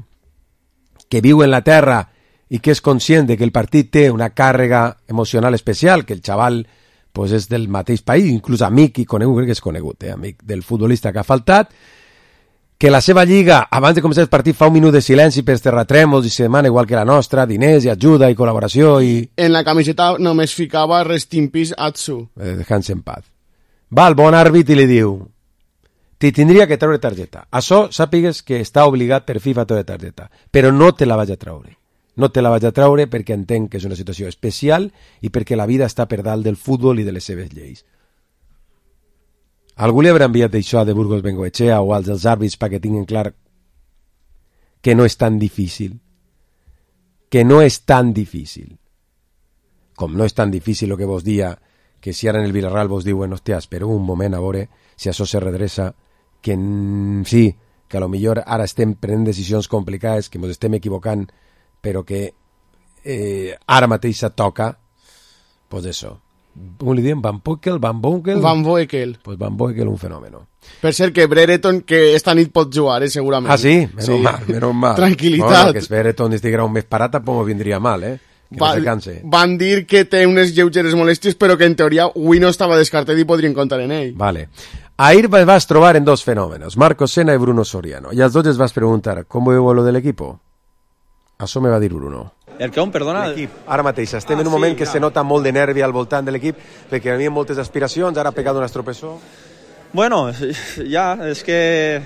que viu en la terra i que és conscient de que el partit té una càrrega emocional especial, que el xaval pues, és del mateix país, inclús amic i conegut, crec que és conegut, amic del futbolista que ha faltat, que la seva lliga, abans de començar el partit, fa un minut de silenci pels terratrèmols i se demana, igual que la nostra, diners i ajuda i col·laboració. En la camiseta només ficava Rest in Peace Atsu. Dejant-se en paz. Va el bon àrbit i li diu: t'hi tindria que treure targeta. Això sàpigues que està obligat per FIFA a treure targeta, però no te la vaig a treure. No te la vaig a treure perquè entenc que és una situació especial i perquè la vida està per dalt del futbol i de les seves lleis. Algú li haurà enviat això de Burgos Bengoechea o als dels àrbits perquè tinguin clar que no és tan difícil. Que no és tan difícil. Com no és tan difícil el que vos dia que si ara en el Villarreal vos diuen, hòstia, espera un moment a veure si això se redreça, que sí, que a lo millor ara estem prenent decisions complicades, que ens estem equivocant, però que ara mateix toca, pues això. Com li diem? Van Boekel? Van Boekel. Pues Van Boekel, un fenomen. Per cert, que Brereton, que esta nit pot jugar, segurament. Ah, sí? Menos mal. Tranquil·litat. Bueno, que Brereton estiguera un mes parat tampoc vindria mal, Que no se canse. Van dir que té unes lleugeres molèsties, però que en teoria avui no estava descartat i podrien comptar en ell. Vale. Ahir vas trobar en dos fenòmenos, Marcos Sena i Bruno Soriano. I als dos els vas preguntar, ¿com veu lo del equipo? Això me va dir Bruno. El que on, perdona? L'equip. Ara mateix, estem en un moment que se nota molt de nervi al voltant de l'equip, perquè hi havia moltes aspiracions, ara ha pegat un estropessó. Bueno, ja, és que...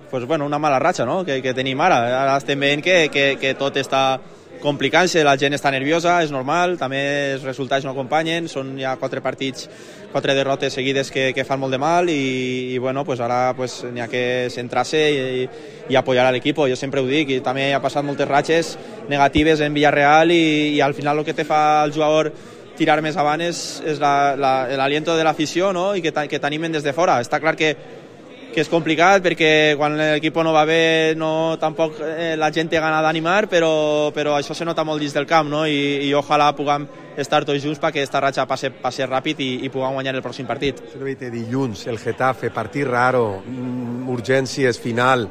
Pues bueno, una mala ratxa, no?, que tenim ara. Ara estem veient que tot està complicant-se, la gent està nerviosa, és normal, també els resultats no acompanyen, són ja 4 partits, 4 derrotes seguides que fan molt de mal i bueno, pues ara pues, n'hi ha que centrar-se i apoyar a l'equip. Jo sempre ho dic, i també ha passat moltes ratxes negatives en Villarreal i al final el que te fa el jugador tirar més avant és l'aliento de l'afició, no?, i que t'animen des de fora. Està clar que és complicat perquè quan l'equip no va bé tampoc la gent té gana d'animar, però això se nota molt dins del camp, no? I ojalà puguem estar tots junts perquè aquesta ratxa passe ràpid i puguem guanyar el pròxim partit. Dilluns, el Getafe, partit raro, urgències, final,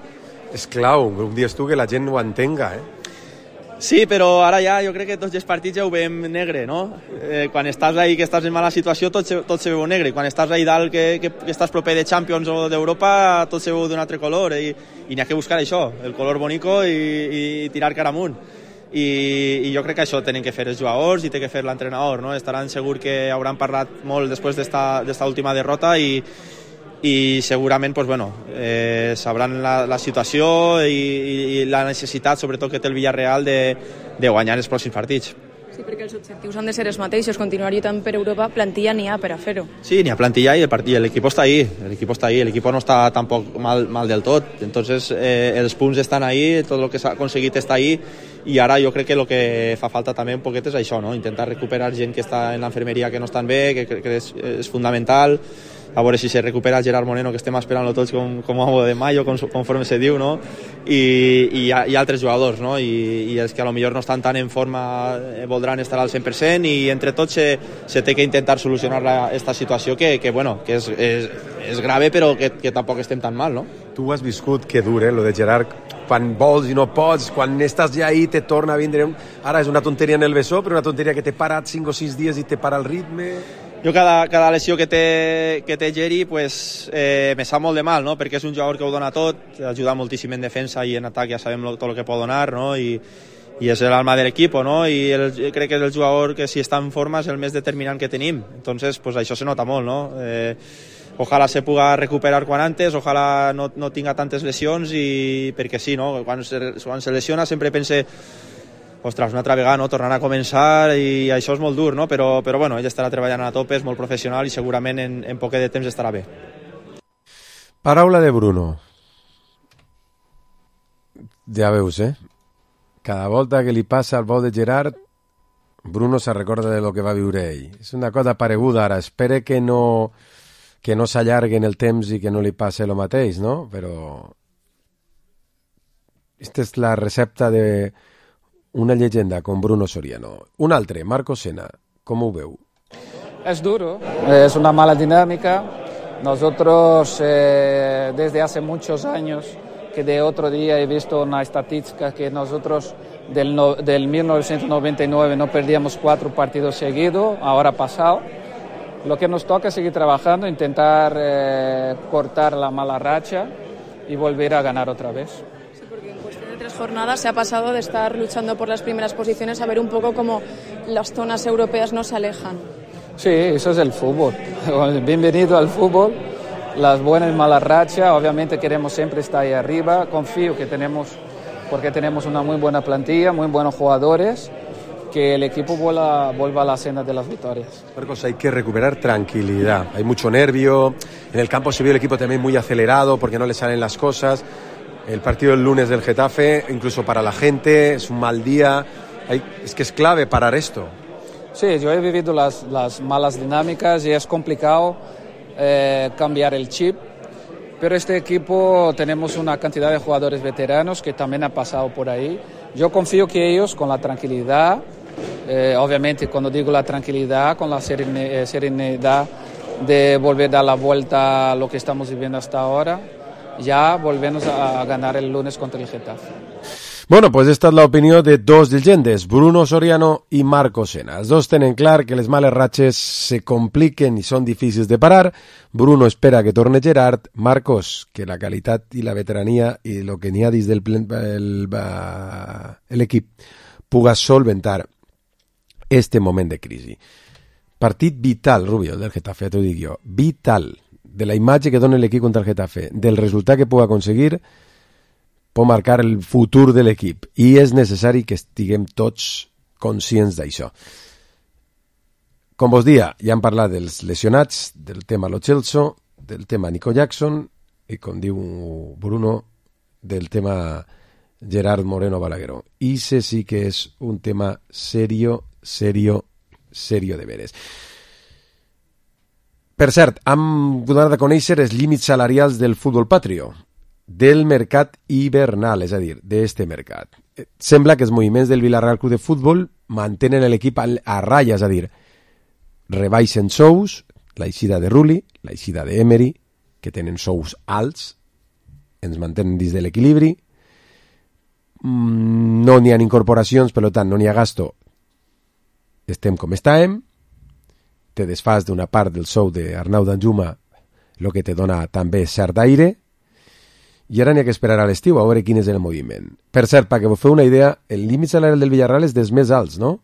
és clau, un dia tu que la gent ho entenga, Sí, però ara ja jo crec que tots els partits ja ho veiem negre, no? Quan estàs ahí, que estàs en mala situació, tot se veu negre. Quan estàs ahí dalt, que estàs proper de Champions o d'Europa, tot se veu d'un altre color. I n'hi ha que buscar això, el color bonico i tirar cara amunt. i jo crec que això tenen que fer els jugadors i té que fer l'entrenador, no? Estaran segur que hauran parlat molt després d'esta última derrota i segurament pues, bueno, sabran la situació i la necessitat, sobretot que té el Villarreal, de guanyar els pròxims partits. Sí, perquè els objectius han de ser els mateixos, continuar lluitant per Europa, plantilla n'hi ha per a fer-ho. Sí, n'hi ha plantilla i l'equip està ahí, l'equip no està tampoc mal del tot, entonces els punts estan ahí, tot el que s'ha aconseguit està ahí, i ara jo crec que el que fa falta també un poquet és això, no? Intentar recuperar gent que està en l'enfermeria que no estan bé, que és fundamental, a veure si se recupera Gerard Moreno, que estem esperant-lo tots com a de mayo, conforme se diu, no? I altres jugadors, no? I els que a lo millor no estan tan en forma voldran estar al 100% i entre tots se té que intentar solucionar esta situació que és grave però que tampoc estem tan mal, no? Tu has viscut que dur, lo de Gerard, quan vols i no pots, quan estàs ja ahí te torna a vindre... Ara és una tonteria en el bessó, però una tonteria que t'he parat 5 o 6 dies i te para el ritme... Jo cada lesió que té Geri pues, me sap molt de mal, no? Perquè és un jugador que ho dona tot, ajuda moltíssim en defensa i en atac ja sabem tot el que pot donar, no? I és l'alma de l'equip, no? I crec que és el jugador que si està en forma és el més determinant que tenim, entonces pues, això se nota molt, no? Ojalá se puga recuperar quan antes, ojalá no tinga tantes lesions i perquè sí, no? Quan se lesiona sempre pense ostres, una altra vegada, no? Tornant a començar i això és molt dur, no? Però bueno, ell estarà treballant a tope, és molt professional i segurament en poquet de temps estarà bé. Paraula de Bruno. Ja veus, Cada volta que li passa el vol de Gerard, Bruno se recorda de lo que va viure ell. És una cosa pareguda ara. Espere que no s'allargui en el temps i que no li passe el mateix, no? Però esta és la recepta de una leyenda con Bruno Soriano. Un altre, Marco Sena, com ho veu? Es duro, es una mala dinámica. Nosotros desde hace muchos años, que de otro día he visto una estadística que nosotros del 1999 no perdíamos 4 partidos seguidos, ahora pasado. Lo que nos toca es seguir trabajando, intentar cortar la mala racha y volver a ganar otra vez. De 3 jornadas se ha pasado de estar luchando por las primeras posiciones a ver un poco cómo las zonas europeas nos alejan. Sí, eso es el fútbol. Bienvenido al fútbol. Las buenas y malas rachas, obviamente queremos siempre estar ahí arriba. Confío que porque tenemos una muy buena plantilla, muy buenos jugadores, que el equipo vuelva a la senda de las victorias. Marcos, hay que recuperar tranquilidad. Hay mucho nervio. En el campo se vio el equipo también muy acelerado porque no le salen las cosas. El partido del lunes del Getafe, incluso para la gente, es un mal día. Es que es clave parar esto. Sí, yo he vivido las malas dinámicas y es complicado cambiar el chip. Pero este equipo tenemos una cantidad de jugadores veteranos que también han pasado por ahí. Yo confío que ellos, con la tranquilidad, obviamente cuando digo la tranquilidad, con la serenidad de volver a dar la vuelta a lo que estamos viviendo hasta ahora, ya volvemos a ganar el lunes contra el Getafe. Bueno, pues esta és l'opinió de dos llegendes, Bruno Soriano i Marco Sena. Els dos tenen clar que les males ratxes se compliquen i són difícils de parar. Bruno espera que torne Gerard. Marcos, que la qualitat i la veterania i el que n'hi ha dins del l'equip puga solventar este moment de crisi. Partit vital, Rubio, del Getafe, t'ho dic jo. Vital. De la imatge que dona l'equip contra el Getafe, del resultat que puga aconseguir, pot marcar el futur de l'equip. I és necessari que estiguem tots conscients d'això. Com vos dia, ja hem parlat dels lesionats, del tema Lo Celso, del tema Nico Jackson, i com diu Bruno, del tema Gerard Moreno Balagueró. I sí que és un tema serio de veres. Per cert, hem donat a conèixer els límits salarials del futbol patrio, del mercat hivernal, és a dir, d'este mercat. Sembla que els moviments del Villarreal Club de Futbol mantenen l'equip a ratlla, és a dir, rebaixen sous, l'eixida de Rulli, l'eixida d'Emery, que tenen sous alts, ens mantenen dins de l'equilibri, no n'hi ha incorporacions, per tant, no n'hi ha gasto, estem com estàvem, te desfas d'una part del sou d'Arnau Danjuma, el que te dona també cert aire, I ara n'hi ha que esperar a l'estiu a veure quin és el moviment. Per cert, perquè vos feu una idea, el límit salarial del Villarreal és dels més alts, no?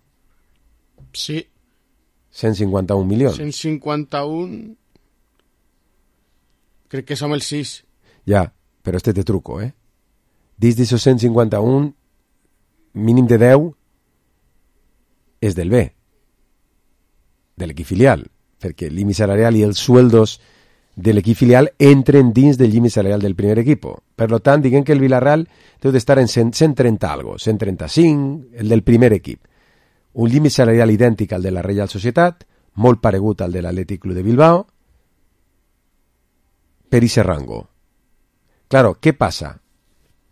Sí. 151 milions. 151... Crec que som el 6. Ja, però este té truco, Dins d'això 151, mínim de 10, és del B, de l'equip filial, perquè el límit salarial i els sueldos de l'equip filial entren dins del límit salarial del primer equip. Per tant, diguem que el Villarreal deu d'estar en 130 algo, 135, el del primer equip. Un límit salarial idèntic al de la Reial Societat, molt paregut al de l'Atlètic Club de Bilbao, per ese rango. Claro, què passa?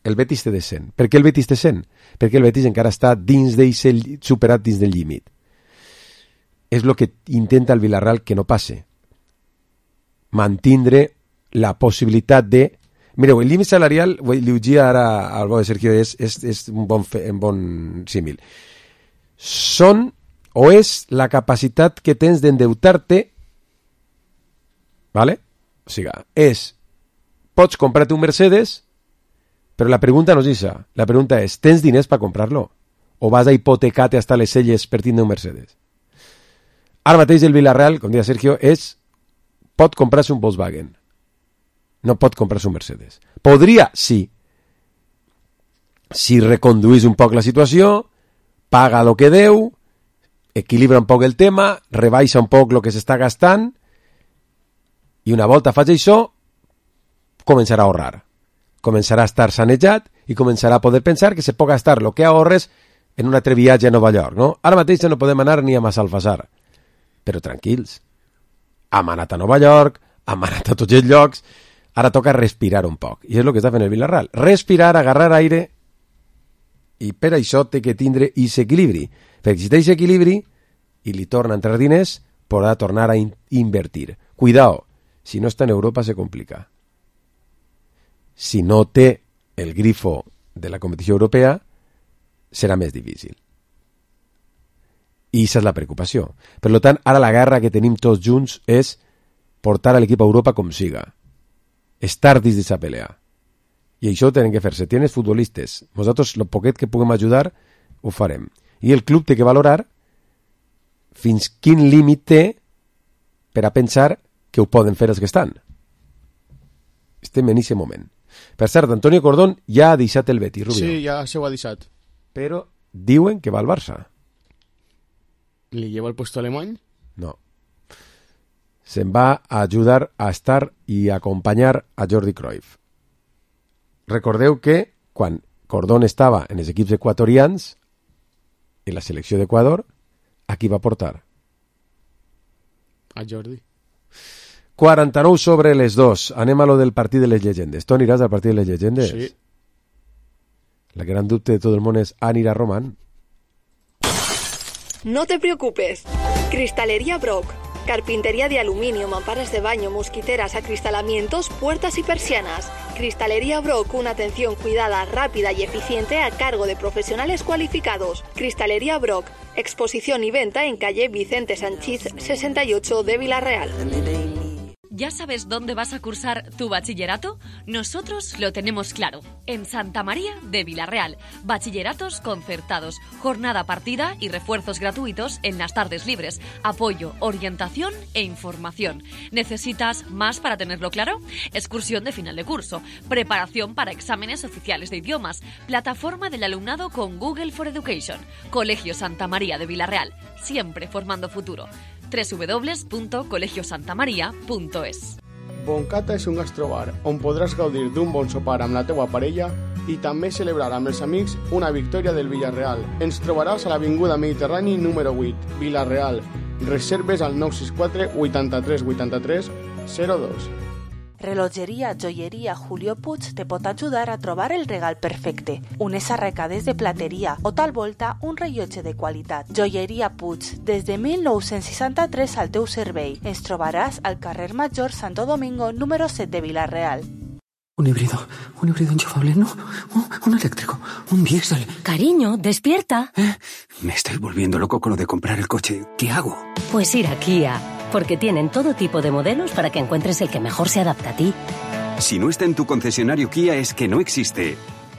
El Betis té de 100. Per què el Betis té 100? Perquè el Betis encara està dins superat dins del límit. És el que intenta el Villarreal que no passe. Mantindre la possibilitat de... Mireu, el límit salarial, li ho dia ara al bo de Sergio, és un bon símil. Són, o és la capacitat que tens d'endeutar-te, ¿vale? O sigui, pots comprar-te un Mercedes, però la pregunta no és això. La pregunta és, tens diners per comprar-lo? O vas a hipotecar-te hasta les celles per tindre un Mercedes? Ara mateix el Villarreal, com deia Sergio, pot comprar-se un Volkswagen. No pot comprar-se un Mercedes. Podria, sí. Si reconduís un poc la situació, paga el que deu, equilibra un poc el tema, rebaixa un poc el que s'està gastant, i una volta faig això, començarà a ahorrar. Començarà a estar sanejat i començarà a poder pensar que se pot gastar el que ahorres en un altre viatge a Nova York. No? Ara mateix ja no podem anar ni a Massalfassar. Però tranquils. Hem anat a Nova York, hem anat a tots els llocs, ara toca respirar un poc. I és el que està fent el Villarreal. Respirar, agarrar aire, i per això té que tindre aquest equilibri. Perquè si té aquest equilibri i li torna a entrar diners, podrà tornar a invertir. Cuidao, si no està en Europa se complica. Si no té el grifo de la competició europea, serà més difícil. I aquesta és la preocupació. Per tant, ara la guerra que tenim tots junts és portar a l'equip a Europa com siga. Estar dins d'aquesta pelea. I això ho tenen que fer. Si tienes futbolistes, nosaltres, el poquet que puguem ajudar, ho farem. I el club té que valorar fins quin límit té per a pensar que ho poden fer els que estan. Estem en aquest moment. Per cert, Antonio Cordón ja ha deixat el Betis, Rubio. Sí, ja se ho ha deixat. Però diuen que va al Barça. ¿Le lleva el puesto alemán? No. Se'n va a ajudar a estar i a acompanyar a Jordi Cruyff. Recordeu que quan Cordón estava en els equips equatorians, en la selecció d'Equador, a qui va portar? A Jordi. 49 sobre les 2. Anem a lo del partit de les llegendes. Tu aniràs al partit de les llegendes? Sí. La gran dubte de tot el món és, anirà Roman? No te preocupes. Cristalería Brock. Carpintería de aluminio, mamparas de baño, mosquiteras, acristalamientos, puertas y persianas. Cristalería Brock, una atención cuidada, rápida y eficiente a cargo de profesionales cualificados. Cristalería Brock, exposición y venta en calle Vicente Sanchís 68 de Villarreal. ¿Ya sabes dónde vas a cursar tu bachillerato? Nosotros lo tenemos claro. En Santa María de Villarreal. Bachilleratos concertados, jornada partida y refuerzos gratuitos en las tardes libres. Apoyo, orientación e información. ¿Necesitas más para tenerlo claro? Excursión de final de curso. Preparación para exámenes oficiales de idiomas. Plataforma del alumnado con Google for Education. Colegio Santa María de Villarreal. Siempre formando futuro. www.colegiosantamaria.es. Boncata és un gastrobar on podràs gaudir d'un bon sopar amb la teua parella i també celebrar amb els amics una victòria del Villarreal. Ens trobaràs a l'Avinguda Mediterrani número 8, Villarreal. Reserves al 964 83 83 02. Relojeria Joyeria Julio Puig te pot ajudar a trobar el regal perfecte. Unes arracades de plateria o tal volta un rellotge de qualitat. Joyeria Puig, des de 1963 al teu servei. Ens trobaràs al carrer Major Santo Domingo número 7 de Villarreal. Un híbrido enchufable, no, un eléctrico, un diésel. Cariño, despierta. Me estoy volviendo loco con lo de comprar el coche. ¿Qué hago? Pues ir a Kia, porque tienen todo tipo de modelos para que encuentres el que mejor se adapta a ti. Si no está en tu concesionario Kia es que no existe.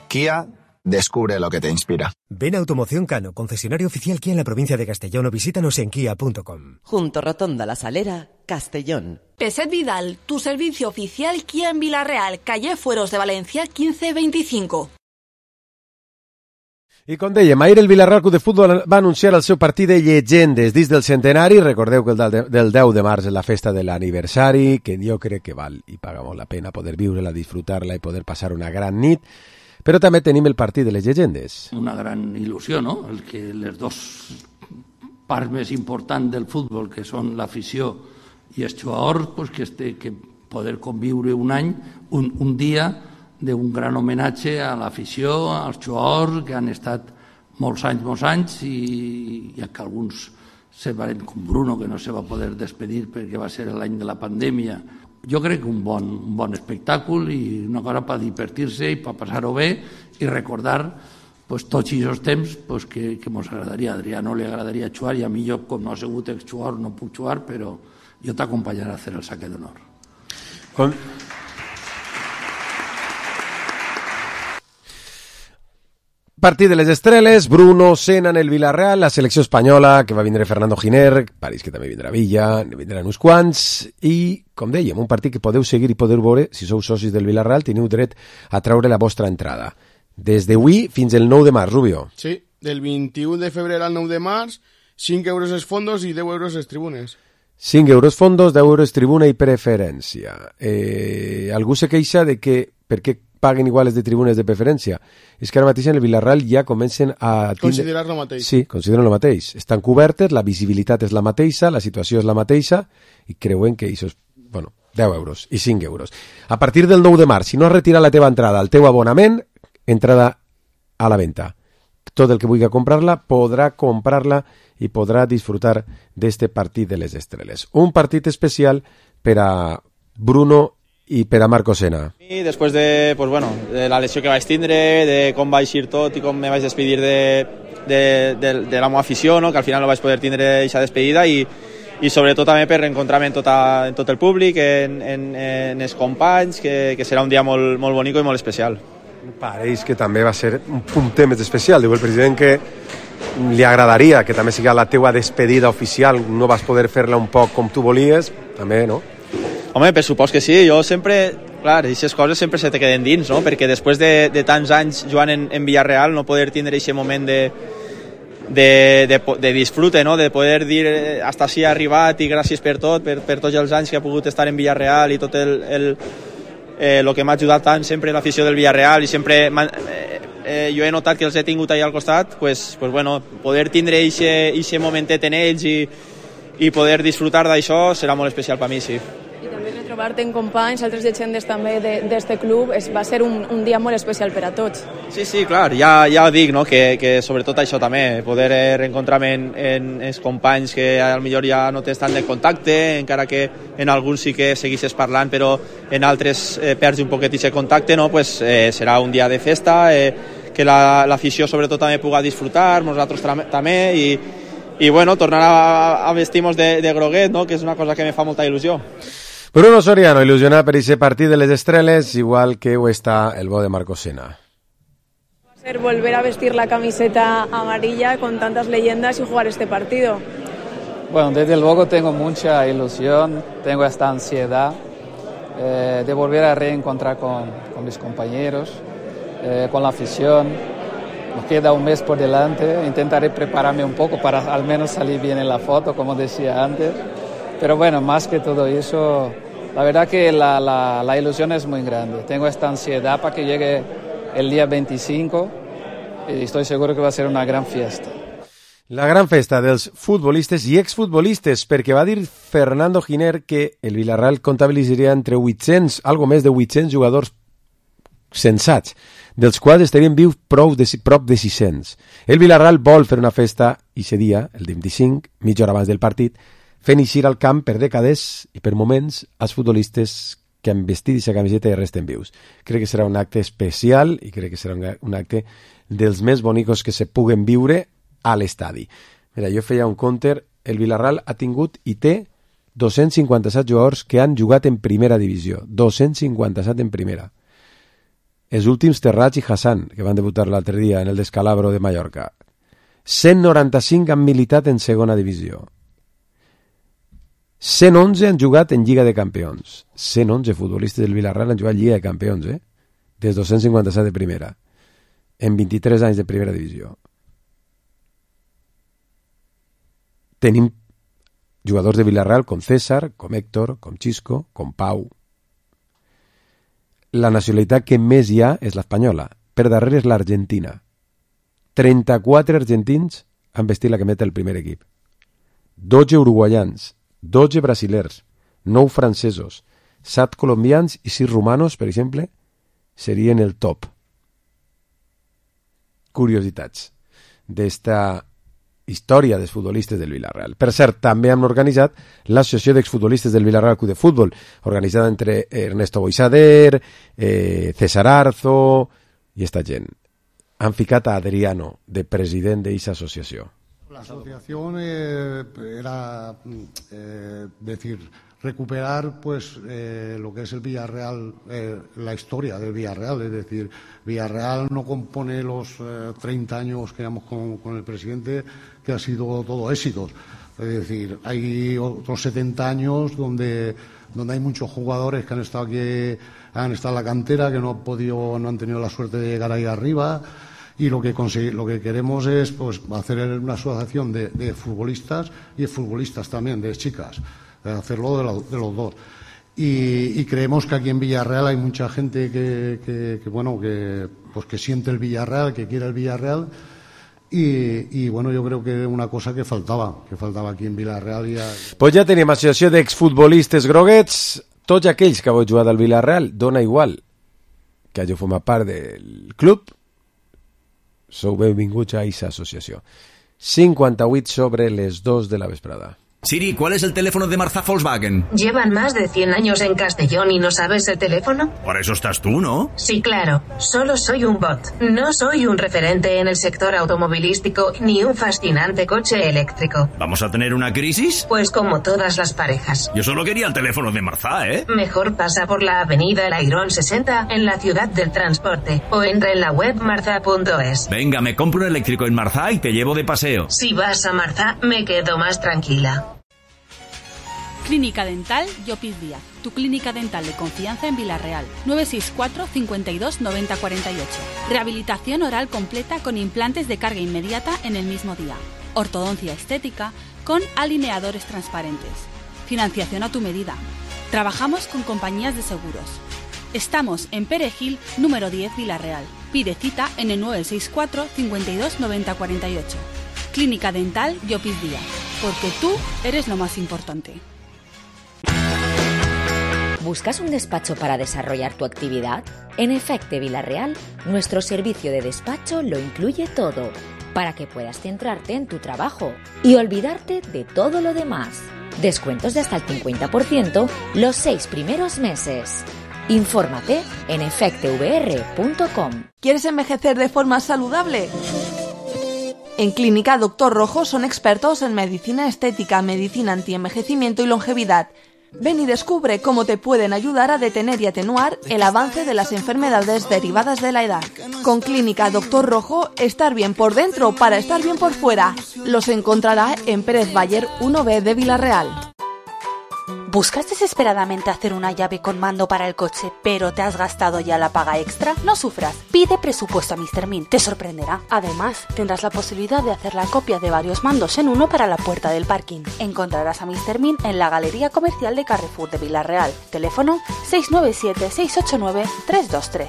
Kia, descubre lo que te inspira. Ven a Automoción Cano, concesionario oficial Kia en la provincia de Castellón, o visítanos en kia.com. Junto Rotonda La Salera, Castellón. Peset Vidal, tu servicio oficial Kia en Vila-real, calle Fueros de Valencia 1525. I com dèiem, ahir el Vila-real Club de Futbol va anunciar el seu partit de llegendes dins del centenari. Recordeu que el del 10 de març és la festa de l'aniversari, que jo crec que val i paga molt la pena poder viure-la, disfrutar-la i poder passar una gran nit. Però també tenim el partit de les llegendes. Una gran il·lusió, no? El que les dos parts més importants del futbol, que són l'afició i els jugadors, pues que poder conviure un any, un dia d'un gran homenatge a l'afició, als jugadors que han estat molts anys i que alguns se van, com Bruno, que no se va poder despedir perquè va ser l'any de la pandèmia. Jo crec que un bon espectacle i una cosa per divertir-se i per passar-ho bé i recordar tots aquests temps que ens agradaria. A Adrià no li agradaria jugar i a mi, jo, com no he sigut exjugador, no puc jugar, però jo t'acompanyaré a fer el saque d'honor. Partit de les estreles, Bruno, Sena en el Vila-real, la selecció espanyola, que va vindre Fernando Giner, París, que també vindrà Villa, ne vindran uns quants, i, com dèiem, un partit que podeu seguir i podeu veure, si sou socis del Vila-real, teniu dret a treure la vostra entrada. Des d'avui fins el 9 de març, Rubio. Sí, del 21 de febrer al 9 de març, 5 euros els fondos i 10 euros les tribunes. 5 euros fondos, 10 euros tribuna i preferència. Algú se queixa de que, per què paguen iguales de tribunes de preferència? És que ara mateix en el Vila-real ja comencen a... Considerar lo mateix. Sí, consideren lo mateix. Estan cobertes, la visibilitat és la mateixa, la situació és la mateixa, i creuen que això és, 10 euros i 5 euros. A partir del 9 de març, si no has retirat la teva entrada, el teu abonament, entrada a la venda. Tot el que vulgui comprar-la podrà comprar-la i podrà disfrutar d'este partit de les estreles. Un partit especial per a Bruno i per a Marco Sena. I després de la lesió que vaig tindre, de com vaig ir tot i com me vaig despedir de la meva afició, no? Que al final no vaig poder tindre aquesta despedida i sobretot també per reencontrar-me en tot el públic, en els companys, que serà un dia molt, molt bonic i molt especial. Pareix que també va ser un puntet més especial. Diu el president que li agradaria que també sigui la teua despedida oficial, no vas poder fer-la un poc com tu volies, també, no? Home, per supòs que sí, jo sempre, clar, aquestes coses sempre se te queden dins, no? Perquè després de tants anys jugant en Villarreal, no poder tindre aquest moment de disfrute, no? De poder dir hasta així ha arribat i gràcies per tot, per tots els anys que ha pogut estar en Villarreal i tot el que m'ha ajudat tant sempre l'afició del Villarreal i sempre jo he notat que els he tingut allà al costat, poder tindre aquest momentet en ells i poder disfrutar d'això serà molt especial per mi, sí. I també retrobar-te en companys, altres llegendes també d'este club, va ser un dia molt especial per a tots. Sí, clar, ja ho dic, no? Que sobretot això també, poder reencontrar-me en els companys que potser ja no tens tant de contacte, encara que en alguns sí que segueixes parlant, però en altres perds un poquet aquest contacte, no? Serà un dia de festa, que l'afició sobretot també pugui disfrutar, nosaltres també, i tornar a vestir-nos de groguet, no? Que és una cosa que me fa molta il·lusió. Bruno Soriano, il·lusionat per aquest partit de les estreles, igual que ho està el bo de Marco Sena. Va a ser volver a vestir la camiseta amarilla con tantas leyendas y jugar este partido. Bueno, desde luego tengo mucha ilusión, tengo esta ansiedad de volver a reencontrar con mis compañeros, con la afición. Nos queda un mes por delante, intentaré prepararme un poco para al menos salir bien en la foto, como decía antes. Pero bueno, más que todo eso, la verdad que la ilusión es muy grande. Tengo esta ansiedad para que llegue el día 25 y estoy seguro que va a ser una gran fiesta. La gran festa dels futbolistes i exfutbolistes, perquè va dir Fernando Giner que el Villarreal comptabilitzaria entre 800, algo més de 800 jugadors sensats, dels quals estarien vius prop de 600. El Villarreal vol fer una festa aquest dia, el 25, mitja hora abans del partit, fent eixir al camp per dècades i per moments als futbolistes que han vestit aquesta camiseta i resten vius. Crec que serà un acte especial i crec que serà un acte dels més bonicos que se puguen viure a l'estadi. Mira, jo feia un counter, el Villarreal ha tingut i té 257 jugadors que han jugat en primera divisió. 257 en primera. Els últims Terrats i Hassan, que van debutar l'altre dia en el Descalabro de Mallorca. 195 han militat en segona divisió. 111 han jugat en Lliga de Campions. 111 futbolistes del Villarreal han jugat Lliga de Campions, des 257 de primera. En 23 anys de primera divisió. Tenim jugadors de Villarreal com César, com Héctor, com Xisco, com Pau. La nacionalitat que més hi ha és l'espanyola. Per darrere és l'Argentina. 34 argentins han vestit la cameta del primer equip. 12 uruguaians, 12 brasilers, 9 francesos, 7 colombians i 6 romanos, per exemple, serien el top. Curiositats d'esta història dels futbolistes del Villarreal. Per cert, també han organitzat l'Associació d'Exfutbolistes del Villarreal Club de Futbol, organitzada entre Ernesto Boisader, César Arzo i esta gent. Han ficat a Adriano, de president d'aquesta associació. La asociación era decir, recuperar pues lo que es el Villarreal, la historia del Villarreal, es decir, Villarreal no compone los 30 años que llevamos con el presidente, que ha sido todo éxitos. Es decir, hay otros 70 años donde hay muchos jugadores que han estado aquí, han estado en la cantera, que no han tenido la suerte de llegar ahí arriba. Y lo que queremos es pues hacer una asociación de futbolistas y de futbolistas también, de chicas, hacerlo de los dos. Y creemos que aquí en Villarreal hay mucha gente que siente el Villarreal, que quiere el Villarreal. Y bueno, yo creo que es una cosa que faltava aquí en Villarreal. Pues ja tenim associació d'exfutbolistes groguets. Tots aquells que heu jugat al Villarreal, dona igual que hagi format part del club, sou benvinguts a aquesta associació. 58 sobre les 2 de la vesprada. Siri, ¿cuál es el teléfono de Marzá Volkswagen? ¿Llevan más de 100 años en Castellón y no sabes el teléfono? Para eso estás tú, ¿no? Sí, claro. Solo soy un bot. No soy un referente en el sector automovilístico ni un fascinante coche eléctrico. ¿Vamos a tener una crisis? Pues como todas las parejas. Yo solo quería el teléfono de Marzá, ¿eh? Mejor pasa por la avenida El Airón 60 en la ciudad del transporte o entra en la web marza.es. Venga, me compro un eléctrico en Marzá y te llevo de paseo. Si vas a Marzá, me quedo más tranquila. Clínica Dental Llopis Díaz, tu clínica dental de confianza en Villarreal. 964 52 90 48. Rehabilitación oral completa con implantes de carga inmediata en el mismo día. Ortodoncia estética con alineadores transparentes. Financiación a tu medida. Trabajamos con compañías de seguros. Estamos en Perejil, número 10, Villarreal. Pide cita en el 964 52 90 48. Clínica Dental Llopis Díaz, porque tú eres lo más importante. ¿Buscas un despacho para desarrollar tu actividad? En Efecte Villarreal, nuestro servicio de despacho lo incluye todo, para que puedas centrarte en tu trabajo y olvidarte de todo lo demás. Descuentos de hasta el 50% los 6 primeros meses. Infórmate en efectevr.com. ¿Quieres envejecer de forma saludable? En Clínica Doctor Rojo son expertos en medicina estética, medicina antienvejecimiento y longevidad. Ven y descubre cómo te pueden ayudar a detener y atenuar el avance de las enfermedades derivadas de la edad. Con Clínica Doctor Rojo, estar bien por dentro para estar bien por fuera. Los encontrará en Pérez Bayer 1B de Villarreal. ¿Buscas desesperadamente hacer una llave con mando para el coche, pero te has gastado ya la paga extra? No sufras, pide presupuesto a Mr. Min, te sorprenderá. Además, tendrás la posibilidad de hacer la copia de varios mandos en uno para la puerta del parking. Encontrarás a Mr. Min en la Galería Comercial de Carrefour de Villarreal. Teléfono 697-689-323.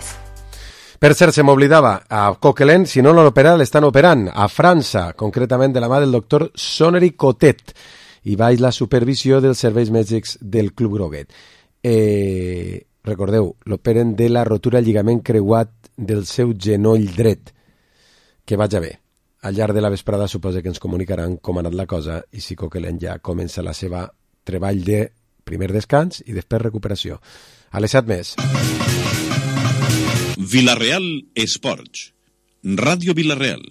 Per cert, se m'oblidava, a Coquelin, si no l'han operat, l'estan operant a França, concretament de la mà del doctor Sonnery Cotet, i baix la supervisió dels serveis mèdics del Club Groguet. Recordeu, l'operen de la rotura del lligament creuat del seu genoll dret. Que vaja bé. Al llarg de la vesprada suposa que ens comunicaran com ha anat la cosa i si Coquelin ja comença la seva treball de primer descans i després recuperació. A les 7 més. Villarreal Esports. Ràdio Villarreal.